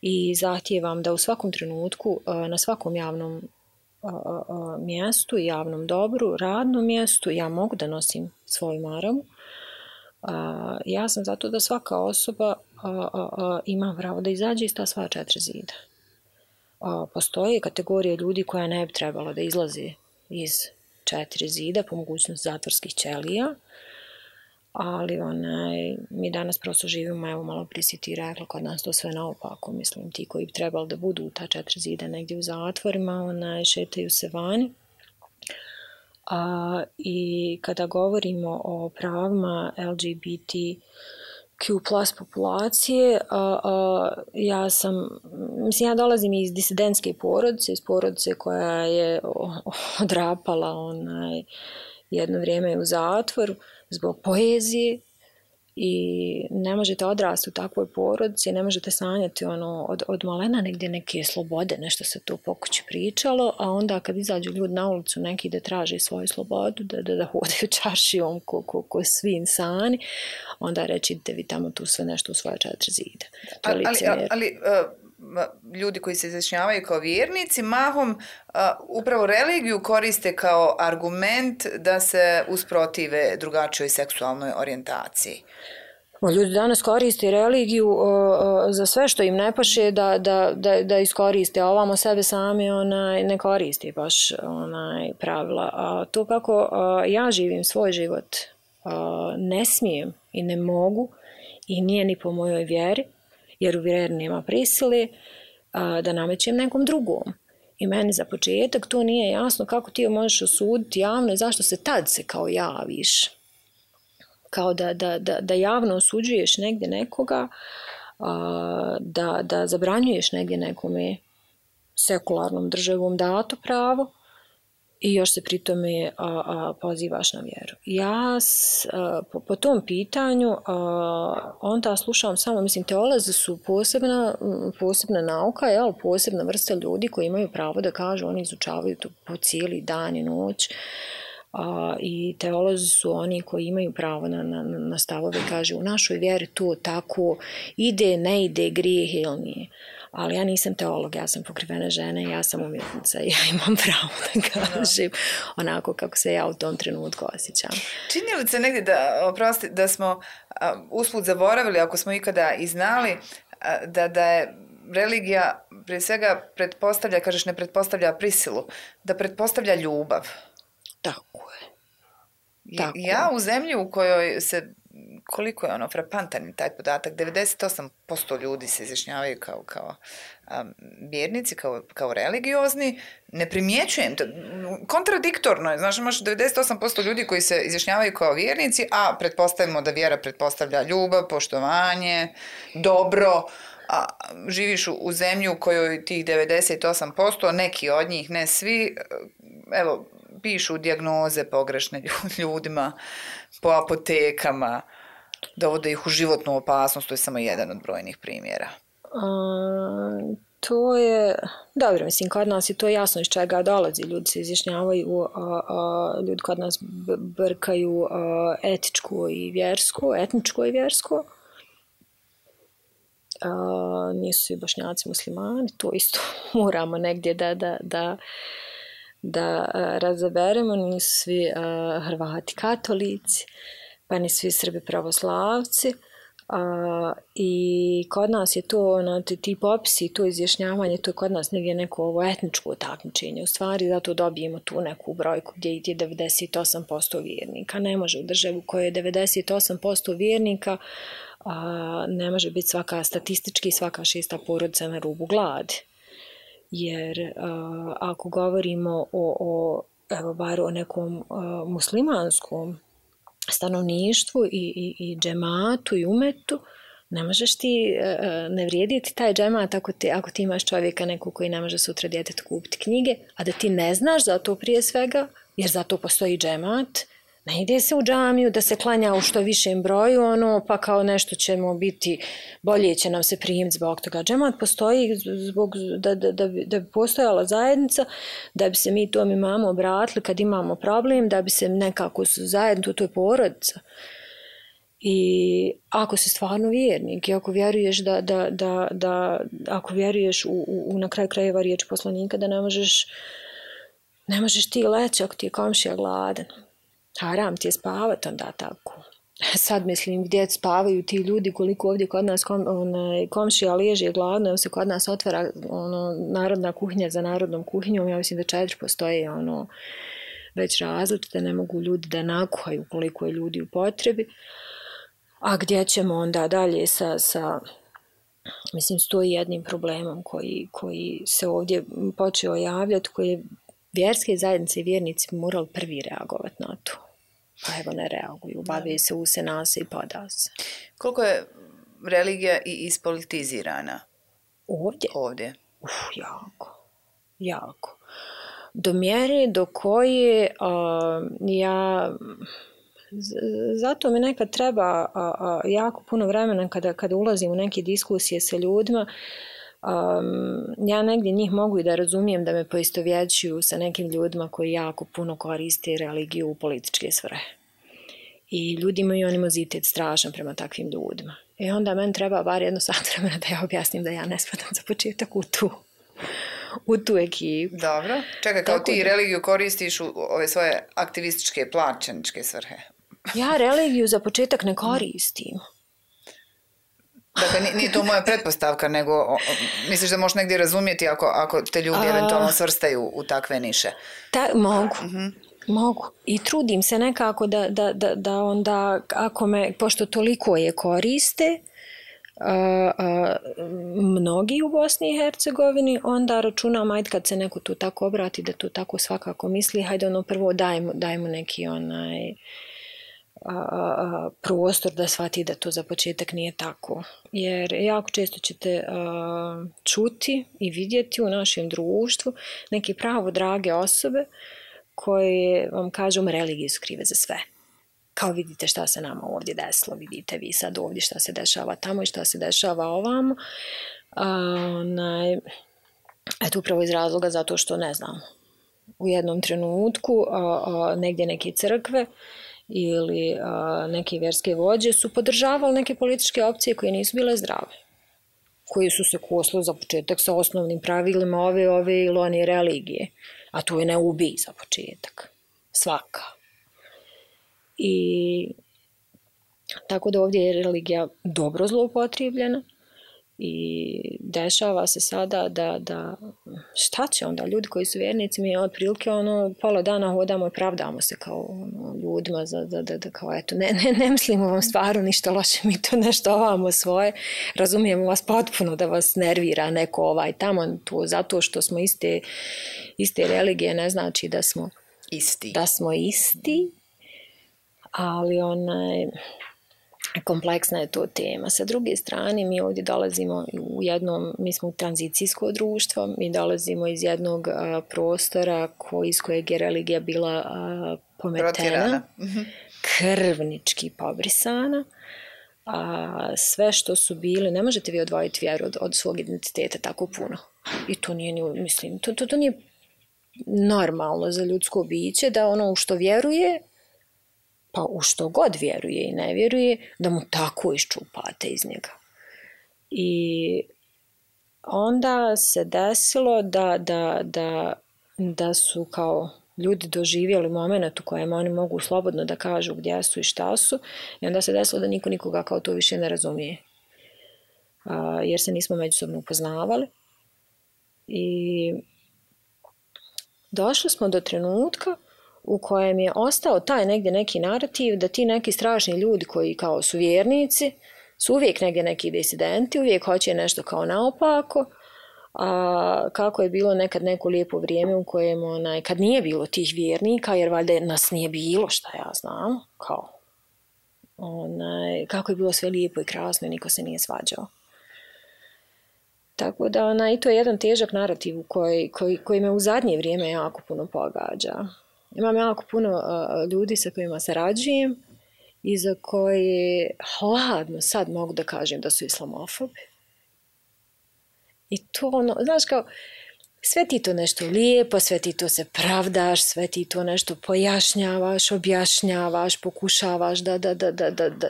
i zahtijevam da u svakom trenutku, a, na svakom javnom a, a, mjestu, javnom dobru, radnom mjestu, ja mogu da nosim svoju maramu. A, ja sam zato da svaka osoba a, a, a, ima pravo da izađe iz ta sva četiri zida. A, postoje kategorije ljudi koja ne bi trebalo da izlazi iz četiri zida, po mogućnosti zatvorskih ćelija, ali onaj, mi danas prosto živimo, evo malo prije si ti rekla, kod nas to sve naopako, mislim, ti koji bi trebali da budu u ta četiri zida negdje u zatvorima, onaj, šetaju se vani. A, i kada govorimo o pravima L G B T Q plus populacije, a, a, ja sam, mislim, ja dolazim iz disidentske porodice, iz porodice koja je odrapala onaj, jedno vrijeme u zatvoru zbog poezije i ne možete odrasti u takvoj porodici, ne možete sanjati ono, od, od malena negdje neke slobode, nešto se to po kući pričalo, a onda kad izađu ljudi na ulicu neki da traže svoju slobodu, da, da, da hodaju čaršijom ko, ko, ko svi insani, onda reći da vi tamo tu sve nešto u svoje četiri zida. Ali, ali, ali uh, ljudi koji se izjašnjavaju kao vjernici, mahom uh, upravo religiju koriste kao argument da se usprotive drugačijoj seksualnoj orijentaciji. Ljudi danas koriste religiju uh, za sve što im ne paše da, da, da, da iskoriste, a ovamo sebe sami onaj, ne koristi baš onaj, pravila. A to kako uh, ja živim svoj život uh, ne smijem i ne mogu i nije ni po mojoj vjeri, jer u vjeri nema prisile uh, da namećem nekom drugom. I meni za početak to nije jasno kako ti možeš osuditi javno i zašto se tad se kao javiš. Kao da, da, da, da javno osuđuješ negdje nekoga, a, da, da zabranjuješ negdje nekome sekularnom državom dato pravo i još se pri tome a, a, pozivaš na vjeru. Ja s, a, po, po tom pitanju a, onda slušam samo, mislim, teolozi su posebna, posebna nauka, jel, posebna vrsta ljudi koji imaju pravo da kažu, oni izučavaju to po cijeli dan i noć. A, i teolozi su oni koji imaju pravo na, na, na stavove, kaže u našoj vjeri to tako ide, ne ide, grijeh ili nije. Ali ja nisam teolog, ja sam pokrivena žena, ja sam umjetnica i ja imam pravo da kažem onako kako se ja u tom trenutku osjećam. Čini li se negdje da, oprosti, da smo a, usput zaboravili, ako smo ikada i znali, a, da, da je religija prije svega pretpostavlja, kažeš ne pretpostavlja prisilu, da pretpostavlja ljubav. Tako je. Tako. Ja u zemlji u kojoj se, koliko je ono frapantan taj podatak, devedeset osam posto ljudi se izjašnjavaju kao, kao um, vjernici, kao, kao religiozni, ne primjećujem to. Kontradiktorno je, znaš, imaš devedeset osam posto ljudi koji se izjašnjavaju kao vjernici, a pretpostavimo da vjera pretpostavlja ljubav, poštovanje, dobro, a živiš u, u zemlji u kojoj tih devedeset osam posto, neki od njih, ne svi, evo, pišu dijagnoze pogrešne ljudima po apotekama, dovode ih u životnu opasnost, to je samo jedan od brojnih primjera. A, to je, dobro, mislim, kod nas je to jasno iz čega dolazi. Ljudi se izjašnjavaju, a, a, ljudi kod nas brkaju a, etičko i vjersko, etničko i vjersko. A, nisu svi Bošnjaci muslimani, to isto moramo negdje da, da, da da a, razaberemo, nisu svi a, Hrvati katolici, pa ni svi Srbi pravoslavci, a, i kod nas je to, ono, ti popisi, to izjašnjavanje, to je kod nas negdje neko ovo etničko takmičenje, u stvari zato dobijemo tu neku brojku gdje je devedeset osam posto vjernika. Ne može u državu koja je devedeset osam posto vjernika, a, ne može biti svaka statistički svaka šesta porodica na rubu gladi. Jer uh, ako govorimo o, o, evo, bar o nekom uh, muslimanskom stanovništvu i, i, i džematu i umetu, ne možeš ti, uh, ne vrijediti taj džemat ako ti, ako ti imaš čovjeka nekog koji ne može sutra djetetu kupiti knjige, a da ti ne znaš za to prije svega, jer za to postoji džemat. Ne ide se u džamiju da se klanja u što višem broju, ono, pa kao nešto ćemo biti, bolje će nam se primiti zbog toga. Džemat postoji zbog, da, da, da, bi, da bi postojala zajednica, da bi se mi tom imamo obratili kad imamo problem, da bi se nekako zajedno, to je porodica. I ako si stvarno vjernik i ako vjeruješ da, da, da, da ako vjeruješ u, u, u na kraju krajeva riječ poslanika, da ne možeš, ne možeš ti leći ako ti je komšija gladan. Haram ti je spavati onda tako. Sad mislim gdje spavaju ti ljudi, koliko ovdje kod nas kom, onaj, komšija leže gladno, evo se kod nas otvara ono, narodna kuhinja za narodnom kuhinjom, ja mislim da četiri postoje ono, već različite, ne mogu ljudi da nakuhaju koliko je ljudi u potrebi. A gdje ćemo onda dalje sa, sa mislim, s to jednim problemom koji, koji se ovdje počeo javljati, koji je vjerske zajednice i vjernici morali prvi reagovati na to. Pa evo ne reaguju, bave se, use nase i pada se. Koliko je religija i ispolitizirana? Ovdje? Ovdje. Uf, jako. Jako. Do mjere do koje a, ja... Zato mi nekad treba a, a, jako puno vremena kada, kada ulazim u neke diskusije sa ljudima. Um, ja negdje njih mogu i da razumijem da me poistovjećuju sa nekim ljudima koji jako puno koriste religiju u političke svrhe. I ljudi imaju animozitet strašan prema takvim ljudima. I onda meni treba bar jedno sat vremena da ja objasnim da ja ne spadam za početak u tu, u tu ekipu. Dobro. Čekaj, kao ti da... religiju koristiš u ove svoje aktivističke, plaćeničke svrhe? Ja religiju za početak ne koristim. Dakle, nije to moja pretpostavka, nego o, misliš da možeš negdje razumjeti ako, ako te ljudi A, eventualno svrstaju u takve niše? Ta, mogu, uh-huh. mogu. I trudim se nekako da, da, da, da onda, ako me, pošto toliko je koriste, a, a, mnogi u Bosni i Hercegovini, onda računam, ajde kad se neko tu tako obrati, da to tako svakako misli, hajde ono prvo dajmo, dajmo neki onaj... A, a, prostor da shvati da to za početak nije tako. Jer jako često ćete a, čuti i vidjeti u našem društvu neke pravo drage osobe koje vam kažu religije su krive za sve. Kao vidite šta se nama ovdje desilo, vidite vi sad ovdje šta se dešava tamo i šta se dešava ovamo. A, onaj, eto upravo iz razloga zato što ne znam. u jednom trenutku, a, a, negdje neke crkve ili a, neke vjerske vođe su podržavali neke političke opcije koje nisu bile zdrave, koji su se kosili za početak sa osnovnim pravilima ove, ove ili one religije. A to je ne ubij za početak. Svaka. I tako da ovdje je religija dobro zloupotrijebljena i dešava se sada da, da šta će onda ljudi koji su vjernici, mi otprilike ono pola dana hodamo i pravdamo se kao ono, ljudima za, da, da, da kao eto ne, ne, ne mislimo vam stvarno ništa loše, mi to nešto ovamo svoje, razumijemo vas potpuno da vas nervira neko ovaj tamo, to zato što smo iste, iste religije ne znači da smo isti, da smo isti, ali onaj kompleksna je to tema. Sa druge strane, mi ovdje dolazimo u jednom, mi smo u tranzicijsko društvo, mi dolazimo iz jednog a, prostora koji, iz kojeg je religija bila a, pometena, krvnički pobrisana, a sve što su bili, ne možete vi odvojiti vjeru od, od svog identiteta tako puno. I to nije, mislim, to, to, to nije normalno za ljudsko biće, da ono u što vjeruje, pa u što god vjeruje i ne vjeruje, da mu tako iščupate iz njega. I onda se desilo da, da, da, da su kao ljudi doživjeli moment u kojem oni mogu slobodno da kažu gdje su i šta su, i onda se desilo da niko nikoga kao to više ne razumije. A, jer se nismo međusobno upoznavali. I došli smo do trenutka u kojem je ostao taj negdje neki narativ da ti neki strašni ljudi koji kao su vjernici su uvijek negdje neki disidenti, uvijek hoće nešto kao naopako, a kako je bilo nekad neko lijepo vrijeme u kojem onaj, kad nije bilo tih vjernika, jer valjda nas nije bilo, šta ja znam, kao onaj, kako je bilo sve lijepo i krasno i niko se nije svađao. Tako da onaj, to je jedan težak narativ koji, koji, koji me u zadnje vrijeme jako puno pogađa. Imam jako puno uh, ljudi sa kojima sarađujem i za koje hladno sad mogu da kažem da su islamofobi. I to ono, znaš kao, sve ti to nešto lijepo, sve ti to se pravdaš, sve ti to nešto pojašnjavaš, objašnjavaš, pokušavaš da, da, da, da, da, da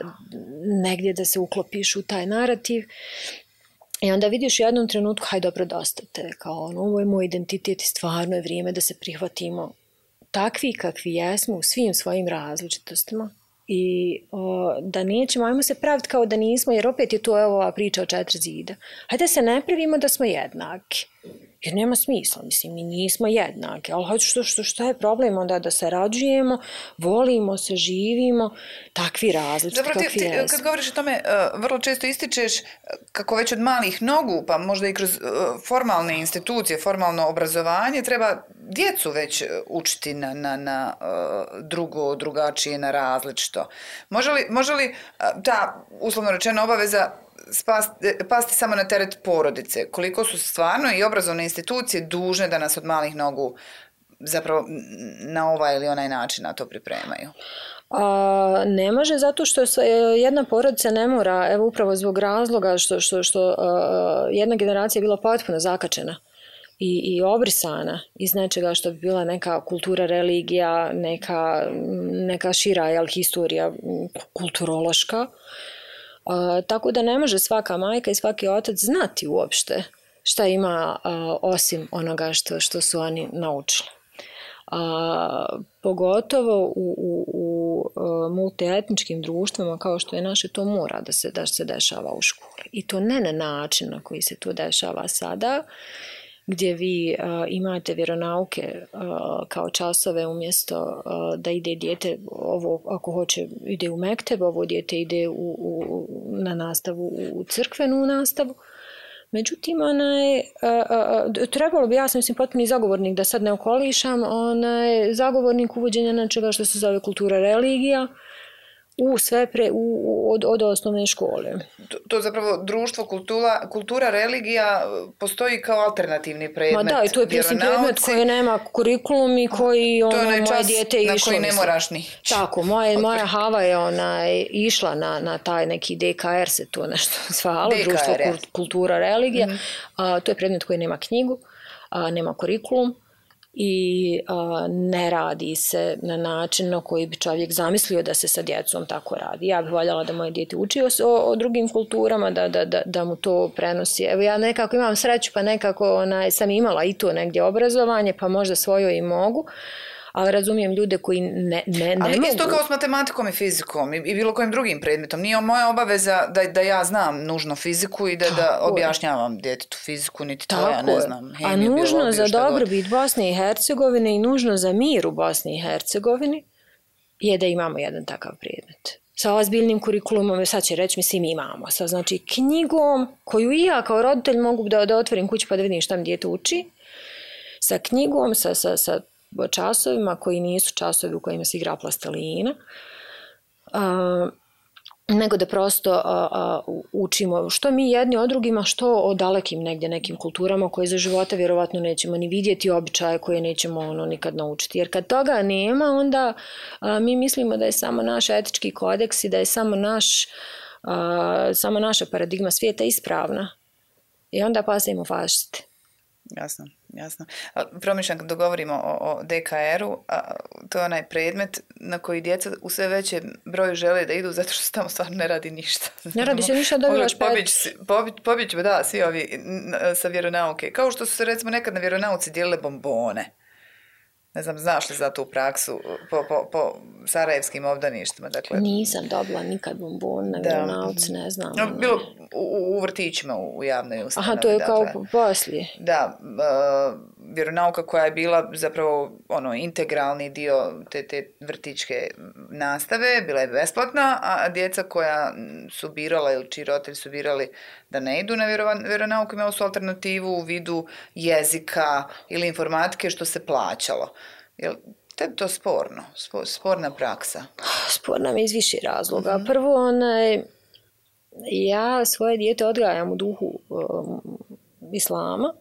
negdje da se uklopiš u taj narativ. I onda vidiš u jednom trenutku, haj dobro, dosta te, kao ono, ovo je moj identitet i stvarno je vrijeme da se prihvatimo takvi kakvi jesmo u svim svojim različitostima i o, da nećemo, ajmo se praviti kao da nismo, jer opet je to evo, ova priča o četiri zida. Hajde se ne pravimo da smo jednaki, jer nema smisla, mislim, mi nismo jednaki, ali hajde što, što, što je problem onda da se rađujemo, volimo se, živimo, takvi različiti kakvi jesmo. Dobro, ti, kad govoriš o tome, vrlo često ističeš kako već od malih nogu, pa možda i kroz formalne institucije, formalno obrazovanje, treba djecu već učiti na, na, na drugo, drugačije, na različito. Može li, može li ta, uslovno rečena, obaveza spasti, pasti samo na teret porodice? Koliko su stvarno i obrazovne institucije dužne da nas od malih nogu zapravo na ovaj ili onaj način na to pripremaju? A, ne može, zato što jedna porodica ne mora, evo upravo zbog razloga što, što, što a, jedna generacija je bila potpuno zakačena i, i obrisana iz nečega što bi bila neka kultura, religija, neka, neka šira jel, historija kulturološka. Uh, tako da ne može svaka majka i svaki otac znati uopšte šta ima uh, osim onoga što, što su oni naučili. Uh, pogotovo u, u, u uh, multietničkim društvima kao što je naše, to mora da se, da se dešava u školi. I to ne na način na koji se to dešava sada, gdje vi uh, imate vjeronauke uh, kao časove umjesto uh, da ide dijete, ovo ako hoće ide u mekteb, ovo dijete ide u, u, na nastavu, u crkvenu nastavu. Međutim, onaj, uh, uh, trebalo bi, ja sam mislim potpuni zagovornik da sad ne okolišam, onaj, zagovornik uvođenja nečega što se zove kultura, religija, u sve pre, u, od, od osnovne škole. To, to zapravo društvo, kultura, kultura, religija postoji kao alternativni predmet. Ma da, i to je mislim predmet koji nema kurikulum i koji ono, moje dijete je išlo. Na koji ne moraš ni. Tako, moje, moja Hava je ona, išla na, na taj neki D K R se to nešto zvalo, društvo, kultura, religija. Mm-hmm. A, to je predmet koji nema knjigu, a, nema kurikulum. i a, ne radi se na način na koji bi čovjek zamislio da se sa djecom tako radi. Ja bih voljela da moje dijete uči o, o drugim kulturama, da, da, da, da mu to prenosi. Evo ja nekako imam sreću, pa nekako onaj, sam imala i to negdje obrazovanje, pa možda svojo i mogu, ali razumijem ljude koji ne, ne, ne ali mogu. Ali isto kao s matematikom i fizikom i, i bilo kojim drugim predmetom. Nije moja obaveza da, da ja znam nužno fiziku i da, da objašnjavam djetetu fiziku, niti to ja ne znam. A nužno za dobrobit Bosne i Hercegovine i nužno za mir u Bosni i Hercegovini je da imamo jedan takav predmet. Sa ozbiljnim kurikulumom, sad će reći, mislim, imamo. Sa, znači, knjigom koju i ja kao roditelj mogu da, da otvorim kuću pa da vidim šta mi dijete uči. Sa knjigom, sa, sa, sa časovima koji nisu časovi u kojima se igra plastelina, a, nego da prosto a, a, učimo što mi jedni od drugima, što o dalekim negdje nekim kulturama koje za života vjerovatno nećemo ni vidjeti, običaje koje nećemo ono nikad naučiti. Jer kad toga nema, onda a, mi mislimo da je samo naš etički kodeks i da je samo, naš, a, samo naša paradigma svijeta ispravna. I onda pasimo fašiste. Jasno, jasno. Promišljam kad dogovorimo o, o D K R-u, a, to je onaj predmet na koji djeca u sve većem broju žele da idu zato što se tamo stvarno ne radi ništa. Ne radi se ništa, dobivaš pet. Pobjeći, da, svi ovi sa vjeronauke. Kao što su se recimo nekad na vjeronauci dijelile bombone. Ne znam, znaš li za tu praksu po, po, po sarajevskim obdaništima? Dakle, nisam dobila nikad bombon na vjeronauci, ne znam. No, bilo u, u vrtićima, u, u javnoj ustanovi. Aha, to je dakle, kao poslije. Da, uh, vjeronauka koja je bila zapravo ono, integralni dio te, te vrtićke nastave, bila je besplatna, a djeca koja su birala ili čiji roditelji su birali da ne idu na vjeronauku, imali su alternativu u vidu jezika ili informatike što se plaćalo. Jel tebi to sporno? Sporna praksa? Sporna mi iz više razloga. Mm-hmm. Prvo, onaj, ja svoje dijete odgajam u duhu um, islama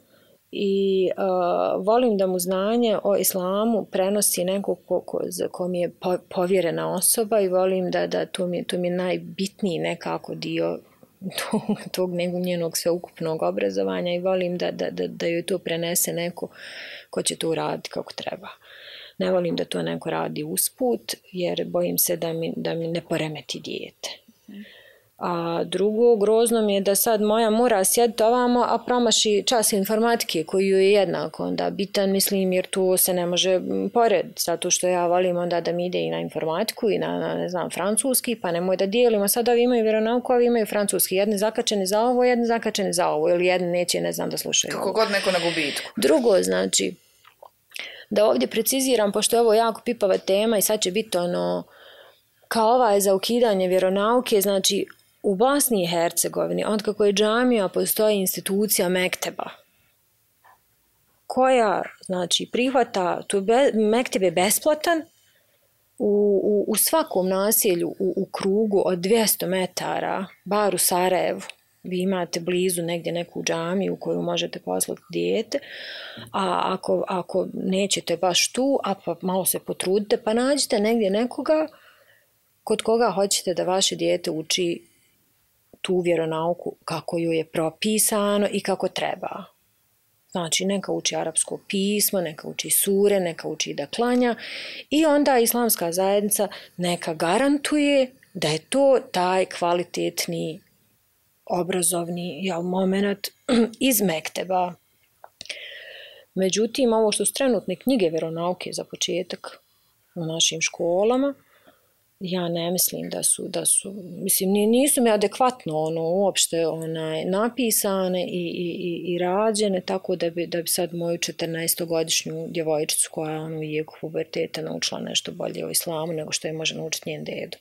i uh, volim da mu znanje o islamu prenosi neko ko, ko, ko mi je po, povjerena osoba i volim da, da to, mi, to mi je najbitniji nekako dio tog, tog njenog sveukupnog obrazovanja i volim da, da, da, da joj to prenese neko ko će to uraditi kako treba. Ne volim da to neko radi usput jer bojim se da mi, da mi ne poremeti dijete. A drugo, grozno mi je da sad moja mora sjediti ovamo, a promaši čas informatike koji je jednako onda bitan, mislim, jer to se ne može porediti, zato što ja volim onda da mi ide i na informatiku i na, na ne znam, francuski, pa nemoj da dijelimo, sad ovi imaju vjeronauku, ovi imaju francuski, jedni zakačeni za ovo, jedni zakačeni za ovo, ili jedni neće, ne znam, da slušaju kako god neko na gubitku. Drugo, znači, da ovdje preciziram, pošto je ovo jako pipava tema i sad će biti ono, kao ova je za ukidanje vjeronauke, znači, u Bosni i Hercegovini, od kako je džamija, postoji institucija mekteba, koja, znači, prihvata, tu be, mekteb je besplatan, u, u, u svakom naselju, u, u krugu od dvjesto metara, bar u Sarajevu, vi imate blizu negdje neku džamiju u koju možete poslati dijete, a ako, ako nećete baš tu, a pa malo se potrudite, pa nađite negdje nekoga kod koga hoćete da vaše dijete uči tu vjeronauku kako ju je propisano i kako treba. Znači, neka uči arapsko pismo, neka uči sure, neka uči da klanja i onda islamska zajednica neka garantuje da je to taj kvalitetni obrazovni jel, moment iz mekteba. Međutim, ovo što su trenutne knjige vjeronauke za početak u našim školama, ja ne mislim da su, da su, mislim, nisu mi adekvatno ono, uopšte onaj, napisane i, i, i rađene, tako da bi, da bi sad moju četrnaestogodišnju djevojčicu koja je ono, u jeku puberteta naučila nešto bolje o islamu nego što je može naučiti njen dedo.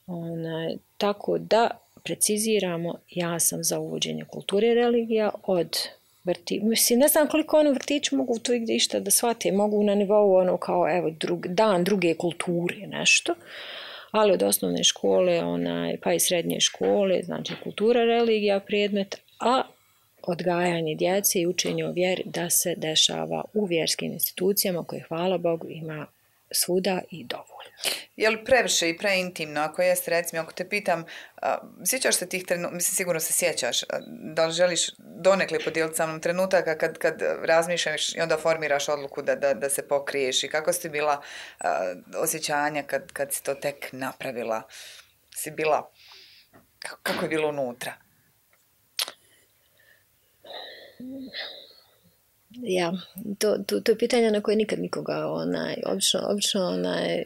Onaj, tako da preciziramo, ja sam za uvođenje kulture i religija od vrti, mislim, ne znam koliko oni u vrtiću mogu to gdje išta da shvate, mogu na nivou ono kao evo drug, dan druge kulture nešto, ali od osnovne škole onaj, pa i srednje škole, znači kultura, religija, predmet, a odgajanje djece i učenje o vjeri da se dešava u vjerskim institucijama koje, hvala Bogu, ima svuda i dovoljno. Je li previše i preintimno? Ako jeste, recimo, ako te pitam, a, sjećaš se tih trenutka, mislim, sigurno se sjećaš, a, da li želiš donekle podijeliti sa mnom trenutaka kad, kad razmišljaš i onda formiraš odluku da, da, da se pokriješ i kako si bila uh, osjećanja kad, kad si to tek napravila? Si bila, kako, kako je bilo unutra? Ja, to, to, to je pitanje na koje nikad nikoga onaj, obično, obično onaj,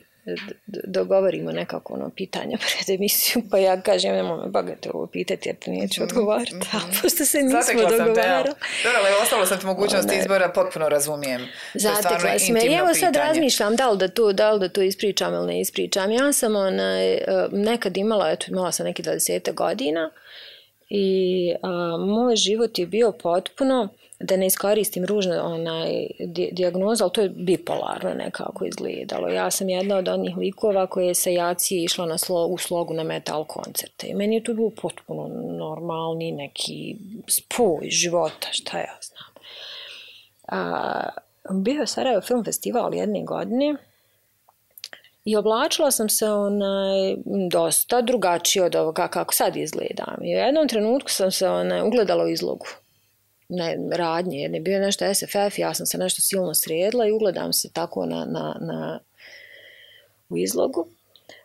dogovorimo nekako ono pitanja pred emisiju, pa ja kažem nemoj me bagate ovo pitati jer te neću odgovarati, mm-hmm. ali pošto se nismo dogovarali. Dobro, ali ostalo sam ti mogućnost izbora, potpuno razumijem. Zatekla si me. Evo sad razmišljam da li da to, da li da to ispričam ili ne ispričam. Ja sam onaj, nekad imala, eto imala sam neki dvadeset godina i a, moj život je bio potpuno, da ne iskoristim ružno onaj dijagnozu, ali to je bipolarno nekako izgledalo. Ja sam jedna od onih likova koje se jaci išla na slo, u slogu na metal koncerte. I meni je to bilo potpuno normalni neki spoj života, šta ja znam. A, bio je Sarajevo Film Festival jedne godine i oblačila sam se onaj, dosta drugačije od ovoga kako sad izgledam. I u jednom trenutku sam se onaj, ugledala u izlogu. Ne, radnje, jer je bio nešto S F F, ja sam se nešto silno sredila i ugledam se tako na, na, na, u izlogu.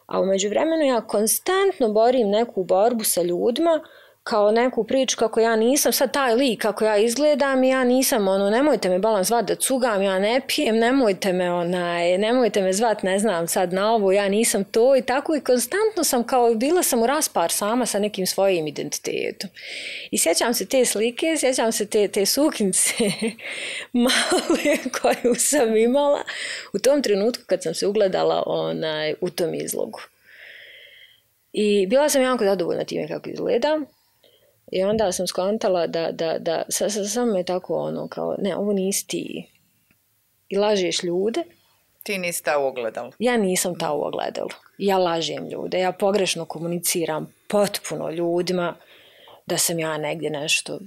A u međuvremenu ja konstantno borim neku borbu sa ljudima, kao neku priču kako ja nisam sad taj lik kako ja izgledam i ja nisam ono, nemojte me balan zvat da cugam, ja ne pijem, nemojte me onaj, nemojte me zvat, ne znam sad na ovo, ja nisam to i tako i konstantno sam kao, bila sam u raspar sama sa nekim svojim identitetom. I sjećam se te slike, sjećam se te, te suknice male koju sam imala u tom trenutku kad sam se ugledala onaj, u tom izlogu. I bila sam jako zadovoljna time kako izgledam. I onda sam skontala da, da, da sa, sa, samo je tako ono kao, ne, ovo nisi ti. I lažeš ljude. Ti nisi ta u ogledalu. Ja nisam ta u ogledalu. Ja lažem ljude, ja pogrešno komuniciram potpuno ljudima da sam ja negdje nešto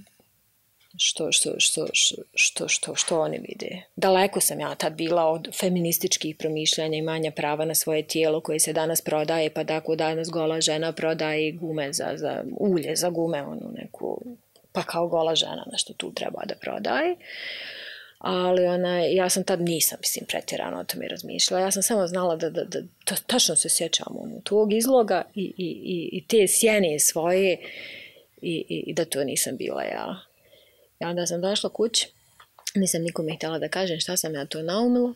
što, što, što, što, što, što, što oni vide. Daleko sam ja tad bila od feminističkih promišljanja i manja prava na svoje tijelo koje se danas prodaje, pa tako danas gola žena prodaje gume za, za ulje, za gume, onu neku, pa kao gola žena nešto tu treba da prodaje. Ali ona, ja sam tad nisam, mislim, pretjerano o tome razmišljala. Ja sam samo znala da, da, da to, tačno se sjećam ono, tog izloga i, i, i, i te sjene svoje i, i, i da to nisam bila ja. I onda sam došla kući, nisam nikome htjela da kažem šta sam ja to naumila.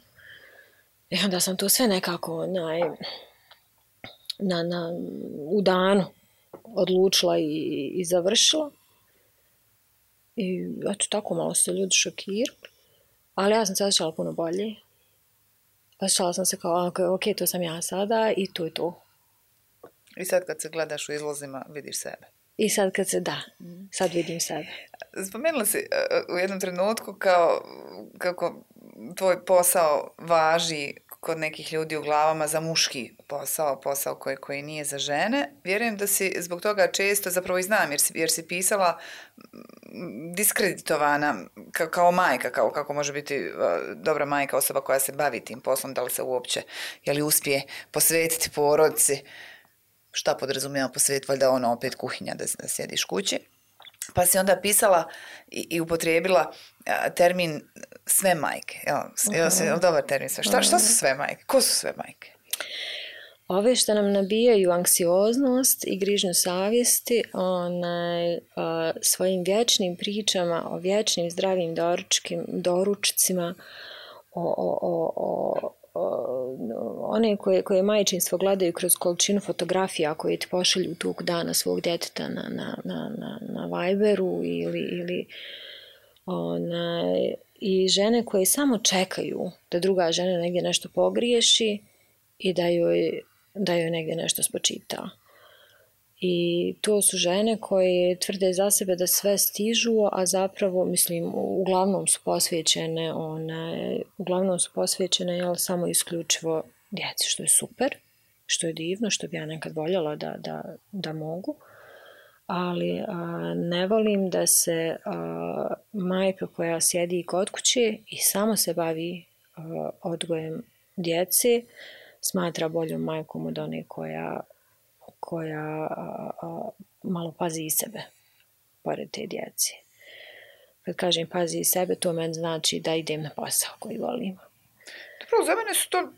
I onda sam to sve nekako na, na, na, u danu odlučila i, i završila. I eto tako malo se ljudi šokirali. Ali ja sam se osjećala puno bolje. Osjećala sam se kao, ok, ok, to sam ja sada i to je to. I sad kad se gledaš u izlozima, vidiš sebe. I sad kad se, da, sad vidim sebe. Spomenula si uh, u jednom trenutku kao kako tvoj posao važi kod nekih ljudi u glavama za muški posao, posao koji, koji nije za žene. Vjerujem da si zbog toga često, zapravo i znam, jer si, jer si pisala diskreditovana kao, kao majka, kao kako može biti uh, dobra majka, osoba koja se bavi tim poslom, da li se uopće, je li uspije posvetiti porodici. Šta podrazumijeva posvet, valjda ono opet kuhinja da, da sjediš kući. Pa si onda pisala i, i upotrijebila a, termin sve majke. Evo, uh-huh. Evo, dobar termin sve. Šta, šta su sve majke? Ko su sve majke? Ove što nam nabijaju anksioznost i grižnju savjesti onaj, a, svojim vječnim pričama o vječnim zdravim doručkim, doručcima, o, o, o, o one koje, koje majčinstvo gledaju kroz količinu fotografija koje ti pošalju tog dana svog djeteta na, na, na, na, na Viberu ili, ili one, i žene koje samo čekaju da druga žena negdje nešto pogriješi i da joj, da joj negdje nešto spočita. I to su žene koje tvrde za sebe da sve stižu, a zapravo, mislim, uglavnom su posvećene, one, uglavnom su posvećene, jel, samo isključivo djeci, što je super, što je divno, što bi ja nekad voljela da, da, da mogu. Ali a, ne volim da se a, majka koja sjedi kod kuće i samo se bavi a, odgojem djece, smatra boljom majkom od one koja koja a, a, malo pazi i sebe pored te djece. kad kažem pazi sebe, to meni znači da idem na posao koji volim. Dobro, za mene su to,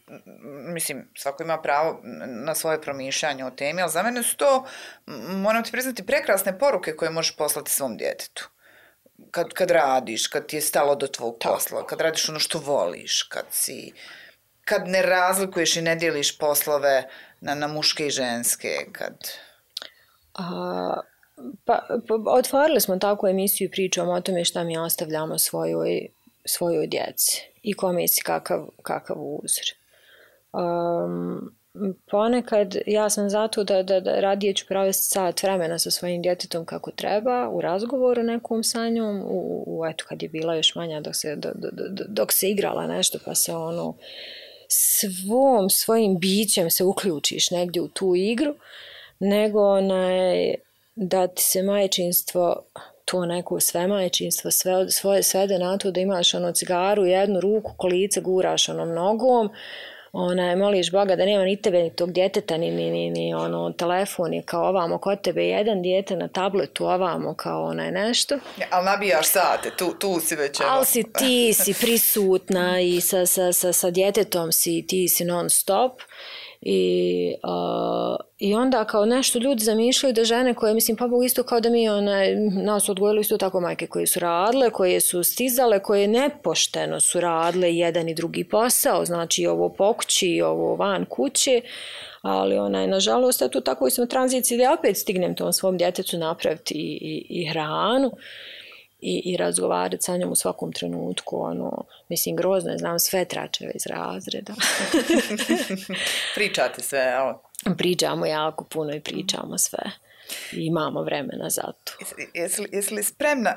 mislim, svako ima pravo na svoje promišljanje o temi, ali za mene su to, moram ti priznati, prekrasne poruke koje možeš poslati svom djetetu. Kad, kad radiš, kad ti je stalo do tvog posla, kad radiš ono što voliš, kad si, kad ne razlikuješ i ne dijeliš poslove na, na muške i ženske, kad... A, pa, pa, otvorili smo takvu emisiju i pričamo o tome šta mi ostavljamo svojoj, svojoj djeci i kome si kakav, kakav uzor. Um, ponekad ja sam zato da, da, da radije ću provesti sat vremena sa svojim djetetom kako treba, u razgovoru nekom sa njom, u, u, eto kad je bila još manja dok se, do, do, do, dok se igrala nešto pa se ono svom svojim bićem se uključiš negdje u tu igru, nego onaj, da ti se majčinstvo, to neko sve majčinstvo sve, svoje svede na to da imaš ono cigaru, jednu ruku, kolice guraš onom nogom, onaj, moliš Boga da nema ni tebe, ni tog djeteta, ni, ni, ni, ni ono, telefon je kao ovamo kod tebe, jedan dijete na tabletu ovamo kao onaj nešto. Ja, ali nabijaš sate, tu, tu si već... Ali si, ti si prisutna i sa, sa, sa, sa djetetom si, ti si non stop. I, uh, I onda kao nešto ljudi zamišljaju da žene koje, mislim, pa Bog isto kao da mi onaj, nas odgojili isto tako majke koje su radile, koje su stizale, koje nepošteno su radile jedan i drugi posao, znači ovo po kući, ovo van kuće, ali onaj, nažalost, eto tako sam u tranziciji da opet stignem tom svom djetetu napraviti i, i, i hranu. I, i razgovarati sa njom u svakom trenutku, ono, mislim, grozno je, znam sve tračeve iz razreda. Pričate sve, evo. Pričamo jako puno i pričamo sve. I imamo vremena za to. Jesi, jesi, jesi li spremna,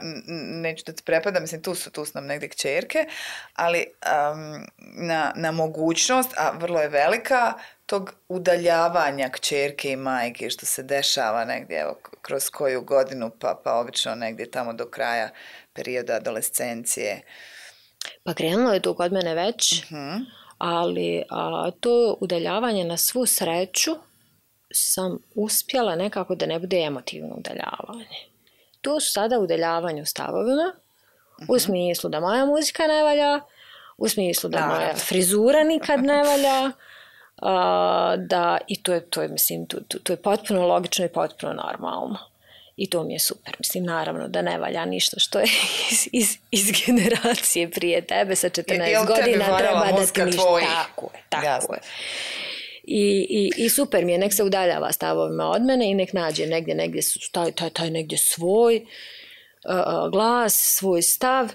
neću da ti prepada, mislim, tu su, tu su nam negdje kćerke, ali um, na, na mogućnost, a vrlo je velika, tog udaljavanja kćerke i majke što se dešava negdje, evo, kroz koju godinu, pa, pa obično negdje tamo do kraja perioda adolescencije. Pa krenulo je to kod mene već, uh-huh. ali a, to udaljavanje na svu sreću sam uspjela nekako da ne bude emotivno udaljavanje. Tu su sada udaljavanje u stavovima, uh-huh. u smislu da moja muzika ne valja, u smislu da moja frizura nikad ne valja, Uh, da, i to je, to je, mislim, to, to, to je potpuno logično i potpuno normalno. I to mi je super. Mislim, naravno da ne valja ništa što je iz, iz, iz generacije prije tebe sa četrnaest godina treba da ti ništa. Tako je, tako Jasne. je. I, i, I super mi je, nek se udaljava stavovima od mene i nek nađe negdje, negdje taj, taj, taj negdje svoj uh, glas, svoj stav.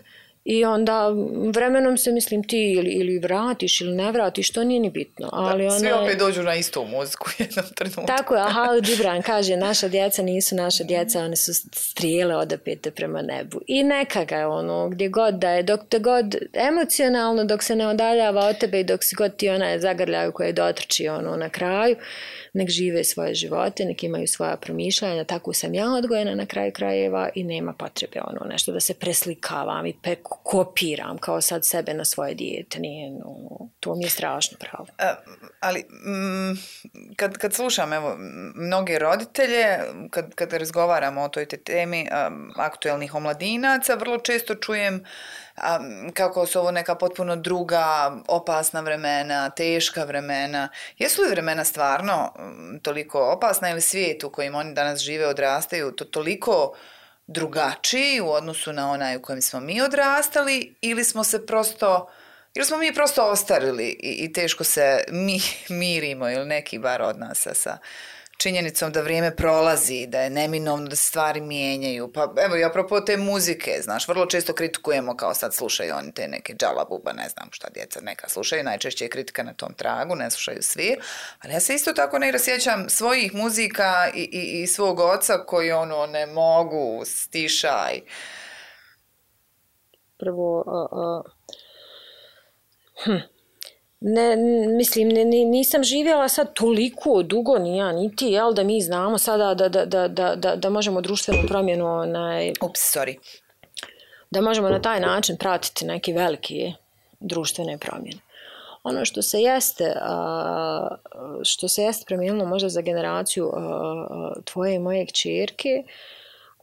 I onda vremenom se, mislim, ti ili, ili vratiš ili ne vratiš, to nije ni bitno. Ali da, svi ona... opet dođu na istu muziku u jednom trenutku. Tako je, a Halil Gibran kaže, naša djeca nisu naša djeca, one su strijele odapete prema nebu. I neka ga je ono, gdje god da je, dok te god emocionalno, dok se ne odaljava od tebe i dok si god ti ona zagrljaju koje dotrči ono na kraju, nek žive svoje živote, nek imaju svoja promišljanja, tako sam ja odgojena na kraju krajeva i nema potrebe ono nešto da se preslikavam i pe kopiram kao sad sebe na svoje dijete. Nije, no, to mi je strašno pravo. A, ali m, kad, kad slušam evo, mnoge roditelje, kad, kad razgovaramo o toj te temi a, aktuelnih omladinaca, vrlo često čujem a, kako su ovo neka potpuno druga, opasna vremena, teška vremena. Jesu li vremena stvarno toliko opasna ili svijet u kojem oni danas žive, odrastaju, to toliko drugačiji u odnosu na onaj u kojem smo mi odrastali ili smo se prosto, ili smo mi prosto ostarili i, i teško se mi mirimo ili neki bar od nas sa činjenicom da vrijeme prolazi, da je neminovno da se stvari mijenjaju. Pa evo i apropo te muzike, znaš, vrlo često kritikujemo kao sad slušaju oni te neke džalabuba, ne znam šta djeca neka slušaju, najčešće je kritika na tom tragu, ne slušaju svi, ali ja se isto tako ne rasjećam svojih muzika i, i, i svog oca koji ono ne mogu, stišaj. Prvo, uh, uh, hm. Ne, mislim, ne, nisam živjela sad toliko dugo, ni ja, ni ti, jel, da mi znamo sada da, da, da, da, da, da možemo društvenu promjenu, onaj, Ups, sorry. da možemo na taj način pratiti neke velike društvene promjene. Ono što se jeste, što se jeste promijenilo možda za generaciju tvoje i moje kćerke,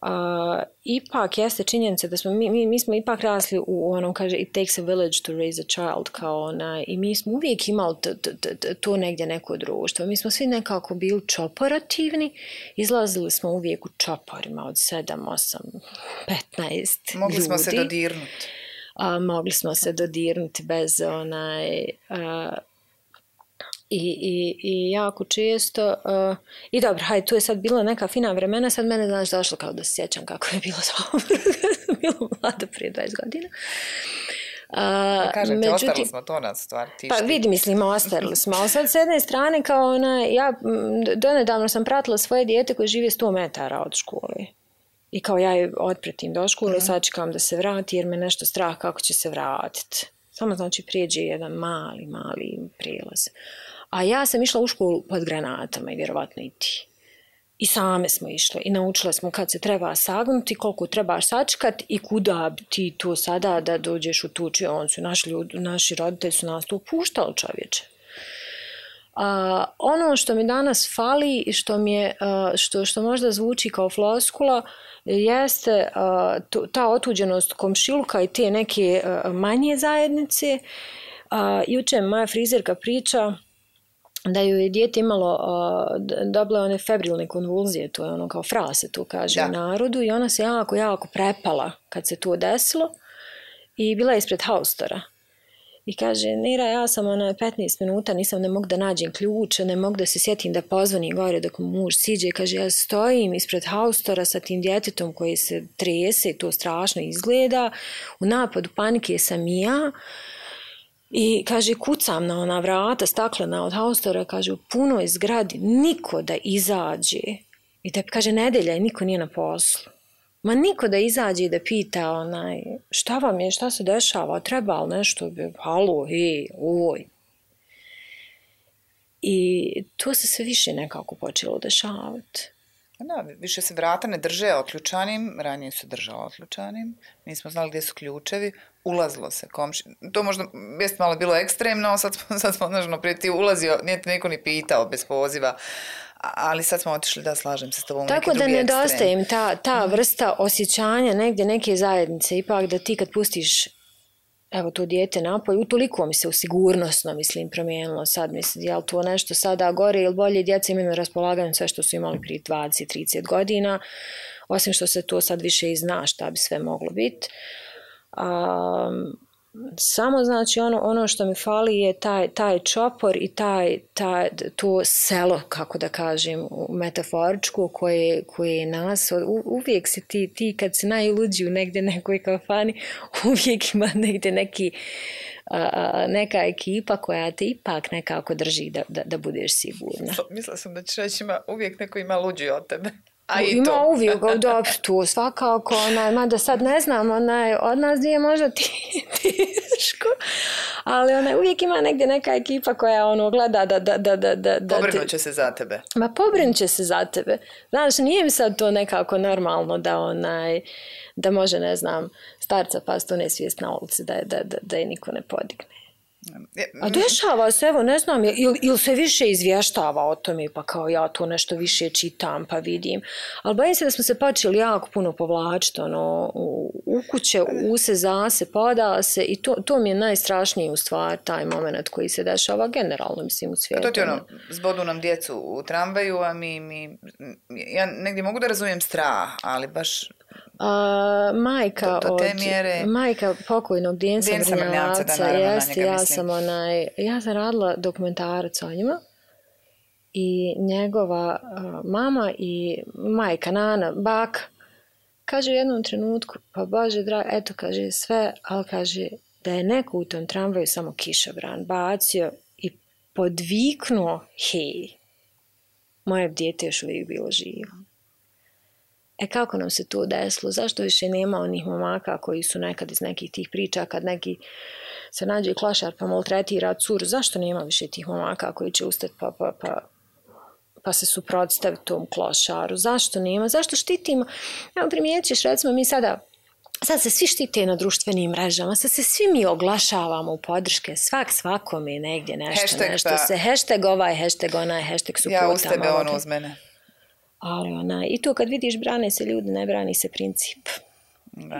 A, ipak jeste činjenica da smo, mi, mi, mi smo ipak rasli u onom, kaže, it takes a village to raise a child, kao ona, i mi smo uvijek imali to, to, to, to negdje neko društvo. Mi smo svi nekako bili čoporativni, izlazili smo uvijek u čoporima od sedam, osam, petnaest Mogli ljudi. smo se dodirnuti. A, mogli smo se dodirnuti bez onaj... A, I, i, i jako često uh, i dobro, hajde, tu je sad bila neka fina vremena, sad mene, znaš, došlo kao da se sjećam kako je bilo dobro kad sam bila mlada prije dvadeset godina. Uh, ja kažem međutim, ti, ostavili smo to na stvar. Ti pa vidi, mislim, ostavili smo, ali sad s jedne strane kao ona, ja donedavno sam pratila svoje dijete koje žive sto metara od škole. I kao ja je otpretim do škole, mm. sad čekam da se vrati jer me nešto strah kako će se vratiti. Samo znači prijeđe jedan mali, mali prijelaz. A ja sam išla u školu pod granatama i vjerovatno i ti. I same smo išle i naučile smo kad se treba sagnuti, koliko trebaš sačekati i kuda ti to sada da dođeš u tu učionicu. Naši, ljudi, naši roditelji su nas to puštali, čovječe. A, ono što mi danas fali i što, mi je, a, što, što možda zvuči kao floskula jeste a, to, ta otuđenost komšiluka i te neke a, manje zajednice. A, juče moja frizerka priča da ju je dijete imalo uh, dobile one febrilne konvulzije, to je ono kao fra se to kaže da. U narodu, i ona se jako, jako prepala kad se to desilo i bila je ispred haustora. I kaže, Nira, ja sam ona petnaest minuta, nisam ne mogu da nađem ključe, ne mogu da se sjetim da pozvani gore dok muž siđe. Kaže, ja stojim ispred haustora sa tim djetetom koji se trese i to strašno izgleda. U napadu panike sam i ja. I kaže, kucam na ona vrata staklena od haustora, kaže, u punoj zgradi niko da izađe. I da kaže, nedelja i niko nije na poslu. Ma niko da izađe i da pita onaj, šta vam je, šta se dešava, treba li nešto, halo, hej, oj. I to se sve više nekako počelo dešavati. Da, više se vrata ne drže otključanim, ranije su držala otključanim, nismo znali gdje su ključevi, ulazilo se komši. To možda jest malo bilo ekstremno, sad smo, sad smo znažno, prije ti ulazio, nije te neko ni pitao bez poziva, ali sad smo otišli, da, slažem se s tobom. Tako da nedostaje im ta, ta vrsta osjećanja negdje neke zajednice, ipak da ti kad pustiš evo to dijete napolje, utoliko mi se u sigurnosno, mislim, promijenilo sad, mislim, je li to nešto sada gore ili bolje, djeca imaju na raspolaganju sve što su imali prije dvadeset do trideset godina, osim što se to sad više i zna šta bi sve moglo biti. Um, samo znači ono, ono što mi fali je taj, taj čopor i taj, taj, to selo, kako da kažem, metaforičko koje, koje nas, u, uvijek si ti, ti kad si najluđi u negdje nekoj kafani, uvijek ima negdje neki, a, neka ekipa koja te ipak nekako drži da, da, da budeš sigurna. Mislila sam da ćeš reći, ima, uvijek neko ima luđi od tebe. A ima to. Uvijek, dobro, tu svakako, onaj, mada sad ne znam, onaj, od nas dvije možda ti teško, ali onaj, uvijek ima negdje neka ekipa koja ono gleda da... da, da, da, da pobrinut će se za tebe. Ma pobrinut će se za tebe. Znaš, nije mi sad to nekako normalno da onaj, da može, ne znam, starca past u nesvijest na ulici, da, da, da, da je niko ne podigne. A dešava se, evo, ne znam, ili il se više izvještava o tome, pa kao ja to nešto više čitam, pa vidim. Ali bojim se da smo se počeli jako puno povlačiti, ono, u, u kuće, u se, za se, poda se, i to, to mi je najstrašniji u stvari, taj moment koji se dešava generalno, mislim, u svijetu. To ti ono, zbodu nam djecu u tramvaju, a mi, mi, ja negdje mogu da razumijem strah, ali baš... Uh, majka, do, do te od, mjere... majka pokojnog Djensa Brnjavca, jeste, ja sam onaj, ja sam radila dokumentarac o njima i njegova uh, mama i majka, nana, baka, kaže u jednom trenutku, pa Bože draga, eto, kaže sve, ali kaže da je neko u tom tramvaju samo kišobran bacio i podviknuo, hej, moje dijete još uvijek bilo živo. E kako nam se to desilo? Zašto više nema onih momaka koji su nekad iz nekih tih priča, kad neki se nađe klošar pa maltretira curu, zašto nema više tih momaka koji će ustati pa, pa, pa, pa se suprotstaviti tom klošaru? Zašto nema? Zašto štitimo? Evo primijećeš, recimo mi sada, sad se svi štite na društvenim mrežama, sad se svi mi oglašavamo u podrške, svak svakome je negdje nešto, hashtag nešto pa... se, hashtag ovaj, hashtag onaj, hashtag supota. Ja uz tebe, ono uz mene. Ali ona, i to kad vidiš brane se ljudi, ne brani se princip.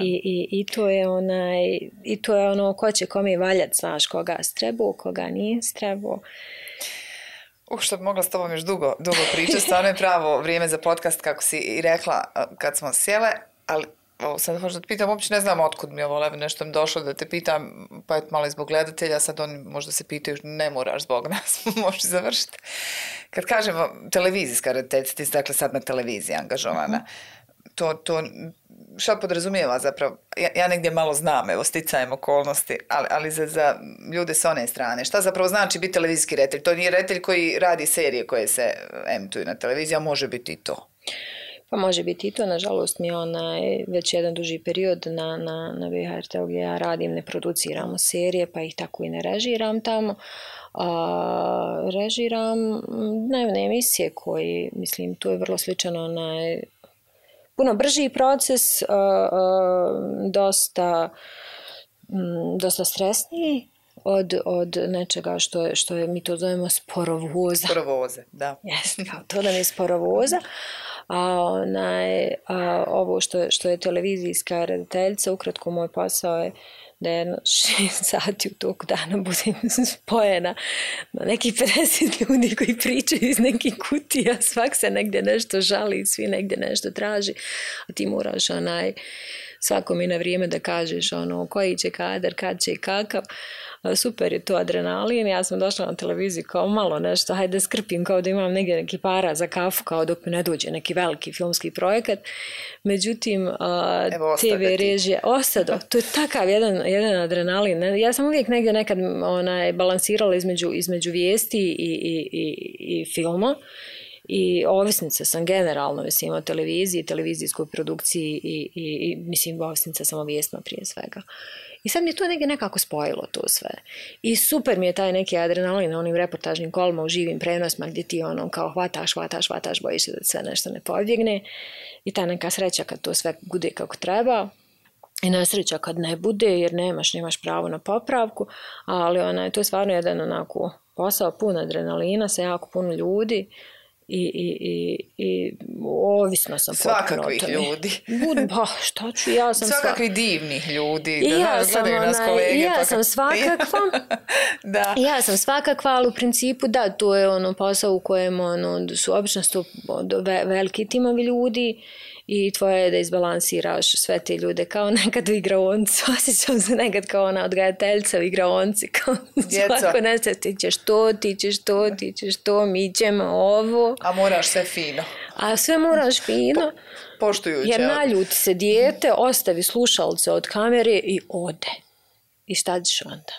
I, i, i, to je onaj, I to je ono ko će kome valjati, znaš, koga strebu, koga nije strebu. Uh, što bi mogla s tobom još dugo, dugo pričati, stvarno je pravo vrijeme za podcast, kako si i rekla kad smo sjele, ali ovo, sad hoću da te pitam, uopće ne znam otkud mi ovo, nešto mi došlo da te pitam, pa je malo i zbog gledatelja, sad oni možda se pitaju, ne moraš zbog nas, možeš završiti. Kad kažemo televizijska rediteljica, dakle sad na televiziji angažovana, uh-huh. to, to šta podrazumijeva zapravo? Ja, ja negdje malo znam, evo, sticajem okolnosti, ali, ali za, za ljude s one strane. Šta zapravo znači biti televizijski reditelj? To nije reditelj koji radi serije koje se emituju na televiziji, a može biti i to. Pa može biti i to, nažalost mi onaj već jedan duži period na, na, na V H R T gdje ja radim, ne produciramo serije, pa ih tako i ne režiram tamo. A, režiram dnevne emisije koji, mislim, to je vrlo sličano onaj puno brži proces, a, a, dosta, m, dosta stresniji od, od nečega što je, što je, mi to zovemo sporovoza. Sporovoze, da. Jeste, kao to da mi je sporovoza. A, onaj, a ovo što je, što je televizijska rediteljica, ukratko moj posao je da jedno šest sati u toku dana budem spojena na nekih pedeset ljudi koji pričaju iz nekih kutija, svak se negdje nešto žali, svi negdje nešto traži, a ti moraš onaj, svakom i na vrijeme da kažeš ono, koji će kadar, kad će i kakav. Super je to adrenalin, ja sam došla na televiziju kao malo nešto, hajde da skrpim, kao da imam negdje neki para za kafu, kao dok mi ne dođe neki veliki filmski projekat. Međutim, Evo, te ve režije, ostado, to je takav jedan, jedan adrenalin. Ja sam uvijek negdje nekad onaj, balansirala između, između vijesti i, i, i, i filma. I ovisnica sam generalno, mislim, o televiziji, televizijskoj produkciji i, i, i mislim, ovisnica sam o vijestima prije svega. I sad mi je to negdje nekako spojilo to sve. I super mi je taj neki adrenalin na onim reportažnim kolima u živim prenosima gdje ti ono kao hvataš, hvataš, hvataš, bojiš se da sve nešto ne pobjegne. I ta neka sreća kad to sve bude kako treba. I nesreća kad ne bude jer nemaš, nemaš pravo na popravku. Ali ona, to je stvarno jedan onako posao pun adrenalina sa jako puno ljudi. I, i, i, i ovisno sam svakakvih ljudi. Bud, pa šta ću, ja sam svakakvih sva... divnih ljudi. I da ja sam, nas kolege, i ja pa sam svakakva. da. Ja sam svakakva, ali u principu da, to je ono posao u kojem ono, su obično sto, veliki timovi ljudi i tvoje je da izbalansiraš sve te ljude kao nekad u igraonci. Osjećam se nekad kao ona odgajateljica u igraonci. Kao svako nešto, ti ćeš to, ti ćeš to, ti ćeš to, mi ćemo ovo. A moraš sve fino. A sve moraš fino. Po, poštujuće. Jer naljuti se dijete, ostavi slušalce od kamere i ode. I šta ćeš onda?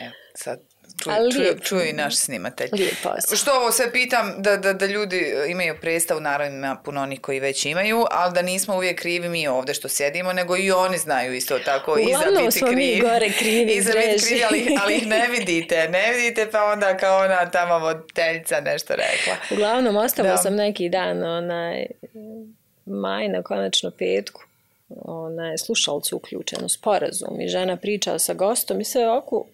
Evo, sad čuju, čuju, čuju i naš snimatelj. Lijepo. Što ovo sve pitam, da, da, da ljudi imaju predstavu, naravno ima puno onih koji već imaju, ali da nismo uvijek krivi mi ovdje što sjedimo, nego i oni znaju isto tako i za biti krivi. Gore krivi. I za biti krivi, ali, ali ih ne vidite, ne vidite, pa onda kao ona tamo voditeljica nešto rekla. Uglavnom, ostavila sam neki dan onaj maj na konačno petku. Ona je slušalcu uključenu sporazum i žena priča sa gostom i sve ovako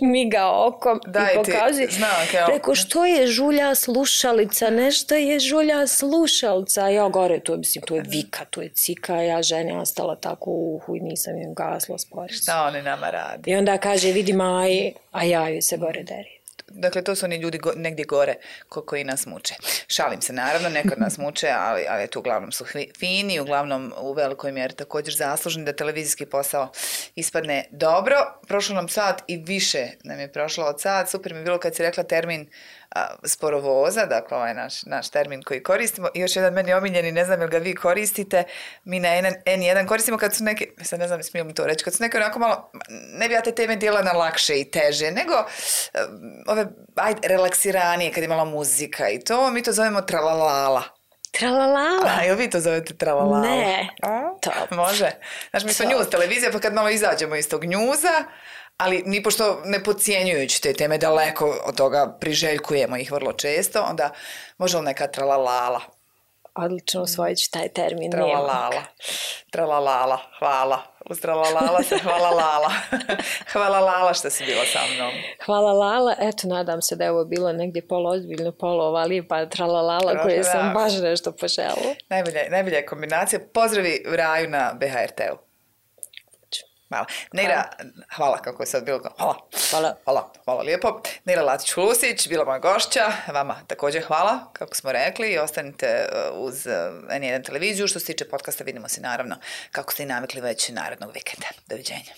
miga okom Daj i pokazuje. Preko što je žulja slušalica, nešto je žulja slušalca. Ja gore, to je, mislim, to je vika, to je cika, ja žena ostala tako u uhu i nisam im gasla sporazum. Šta oni nama radi? I onda kaže, vidi Maji, a ja ju se gore deri. Dakle, to su oni ljudi go, negdje gore ko, koji nas muče. Šalim se, naravno, nekad nas muče, ali, ali tu uglavnom su fini, uglavnom u velikoj mjeri također zaslužni da televizijski posao ispadne dobro. Prošlo nam sat i više nam je prošlo od sat. Super mi je bilo kad si rekla termin a, sporovoza, dakle ovaj naš, naš termin koji koristimo. I još jedan meni omiljeni, ne znam jel ga vi koristite, mi na en jedan koristimo kad su neke, sad ne znam smijem to reći, kad su neke onako malo, ne bi ja te teme dijela na lakše i teže, nego ove, ajde, relaksiranije, kad je malo muzika i to, mi to zovemo tralalala. Tralalala? A, jel vi to zovete tralalala? Ne. A, može. Znači, mi smo news televizija, pa kad malo izađemo iz tog newsa, ali mi pošto ne podcjenjujući te teme daleko od toga priželjkujemo ih vrlo često, onda može li neka tralalala? Odlično, usvojit ću taj termin. Tralalala. Tralalala. Hvala. Uz tralalala se hvala lala. Hvala lala što si bila sa mnom. Hvala lala. Eto, nadam se da je ovo bilo negdje poloozbiljno, polo lijepa tralalala koje sam baš nešto požela. Najbolja, najbolja je kombinacija. Pozdravi Raju na B H R T-u. Hvala. Neira, hvala kako je sad bilo. Hvala. Hvala. Hvala, hvala lijepo. Neira Latić-Hulusić, bila moja gošća. Vama također hvala, kako smo rekli. I ostanite uz en jedan televiziju. Što se tiče podcasta, vidimo se naravno kako ste i navikli već narednog vikenda. Doviđenja.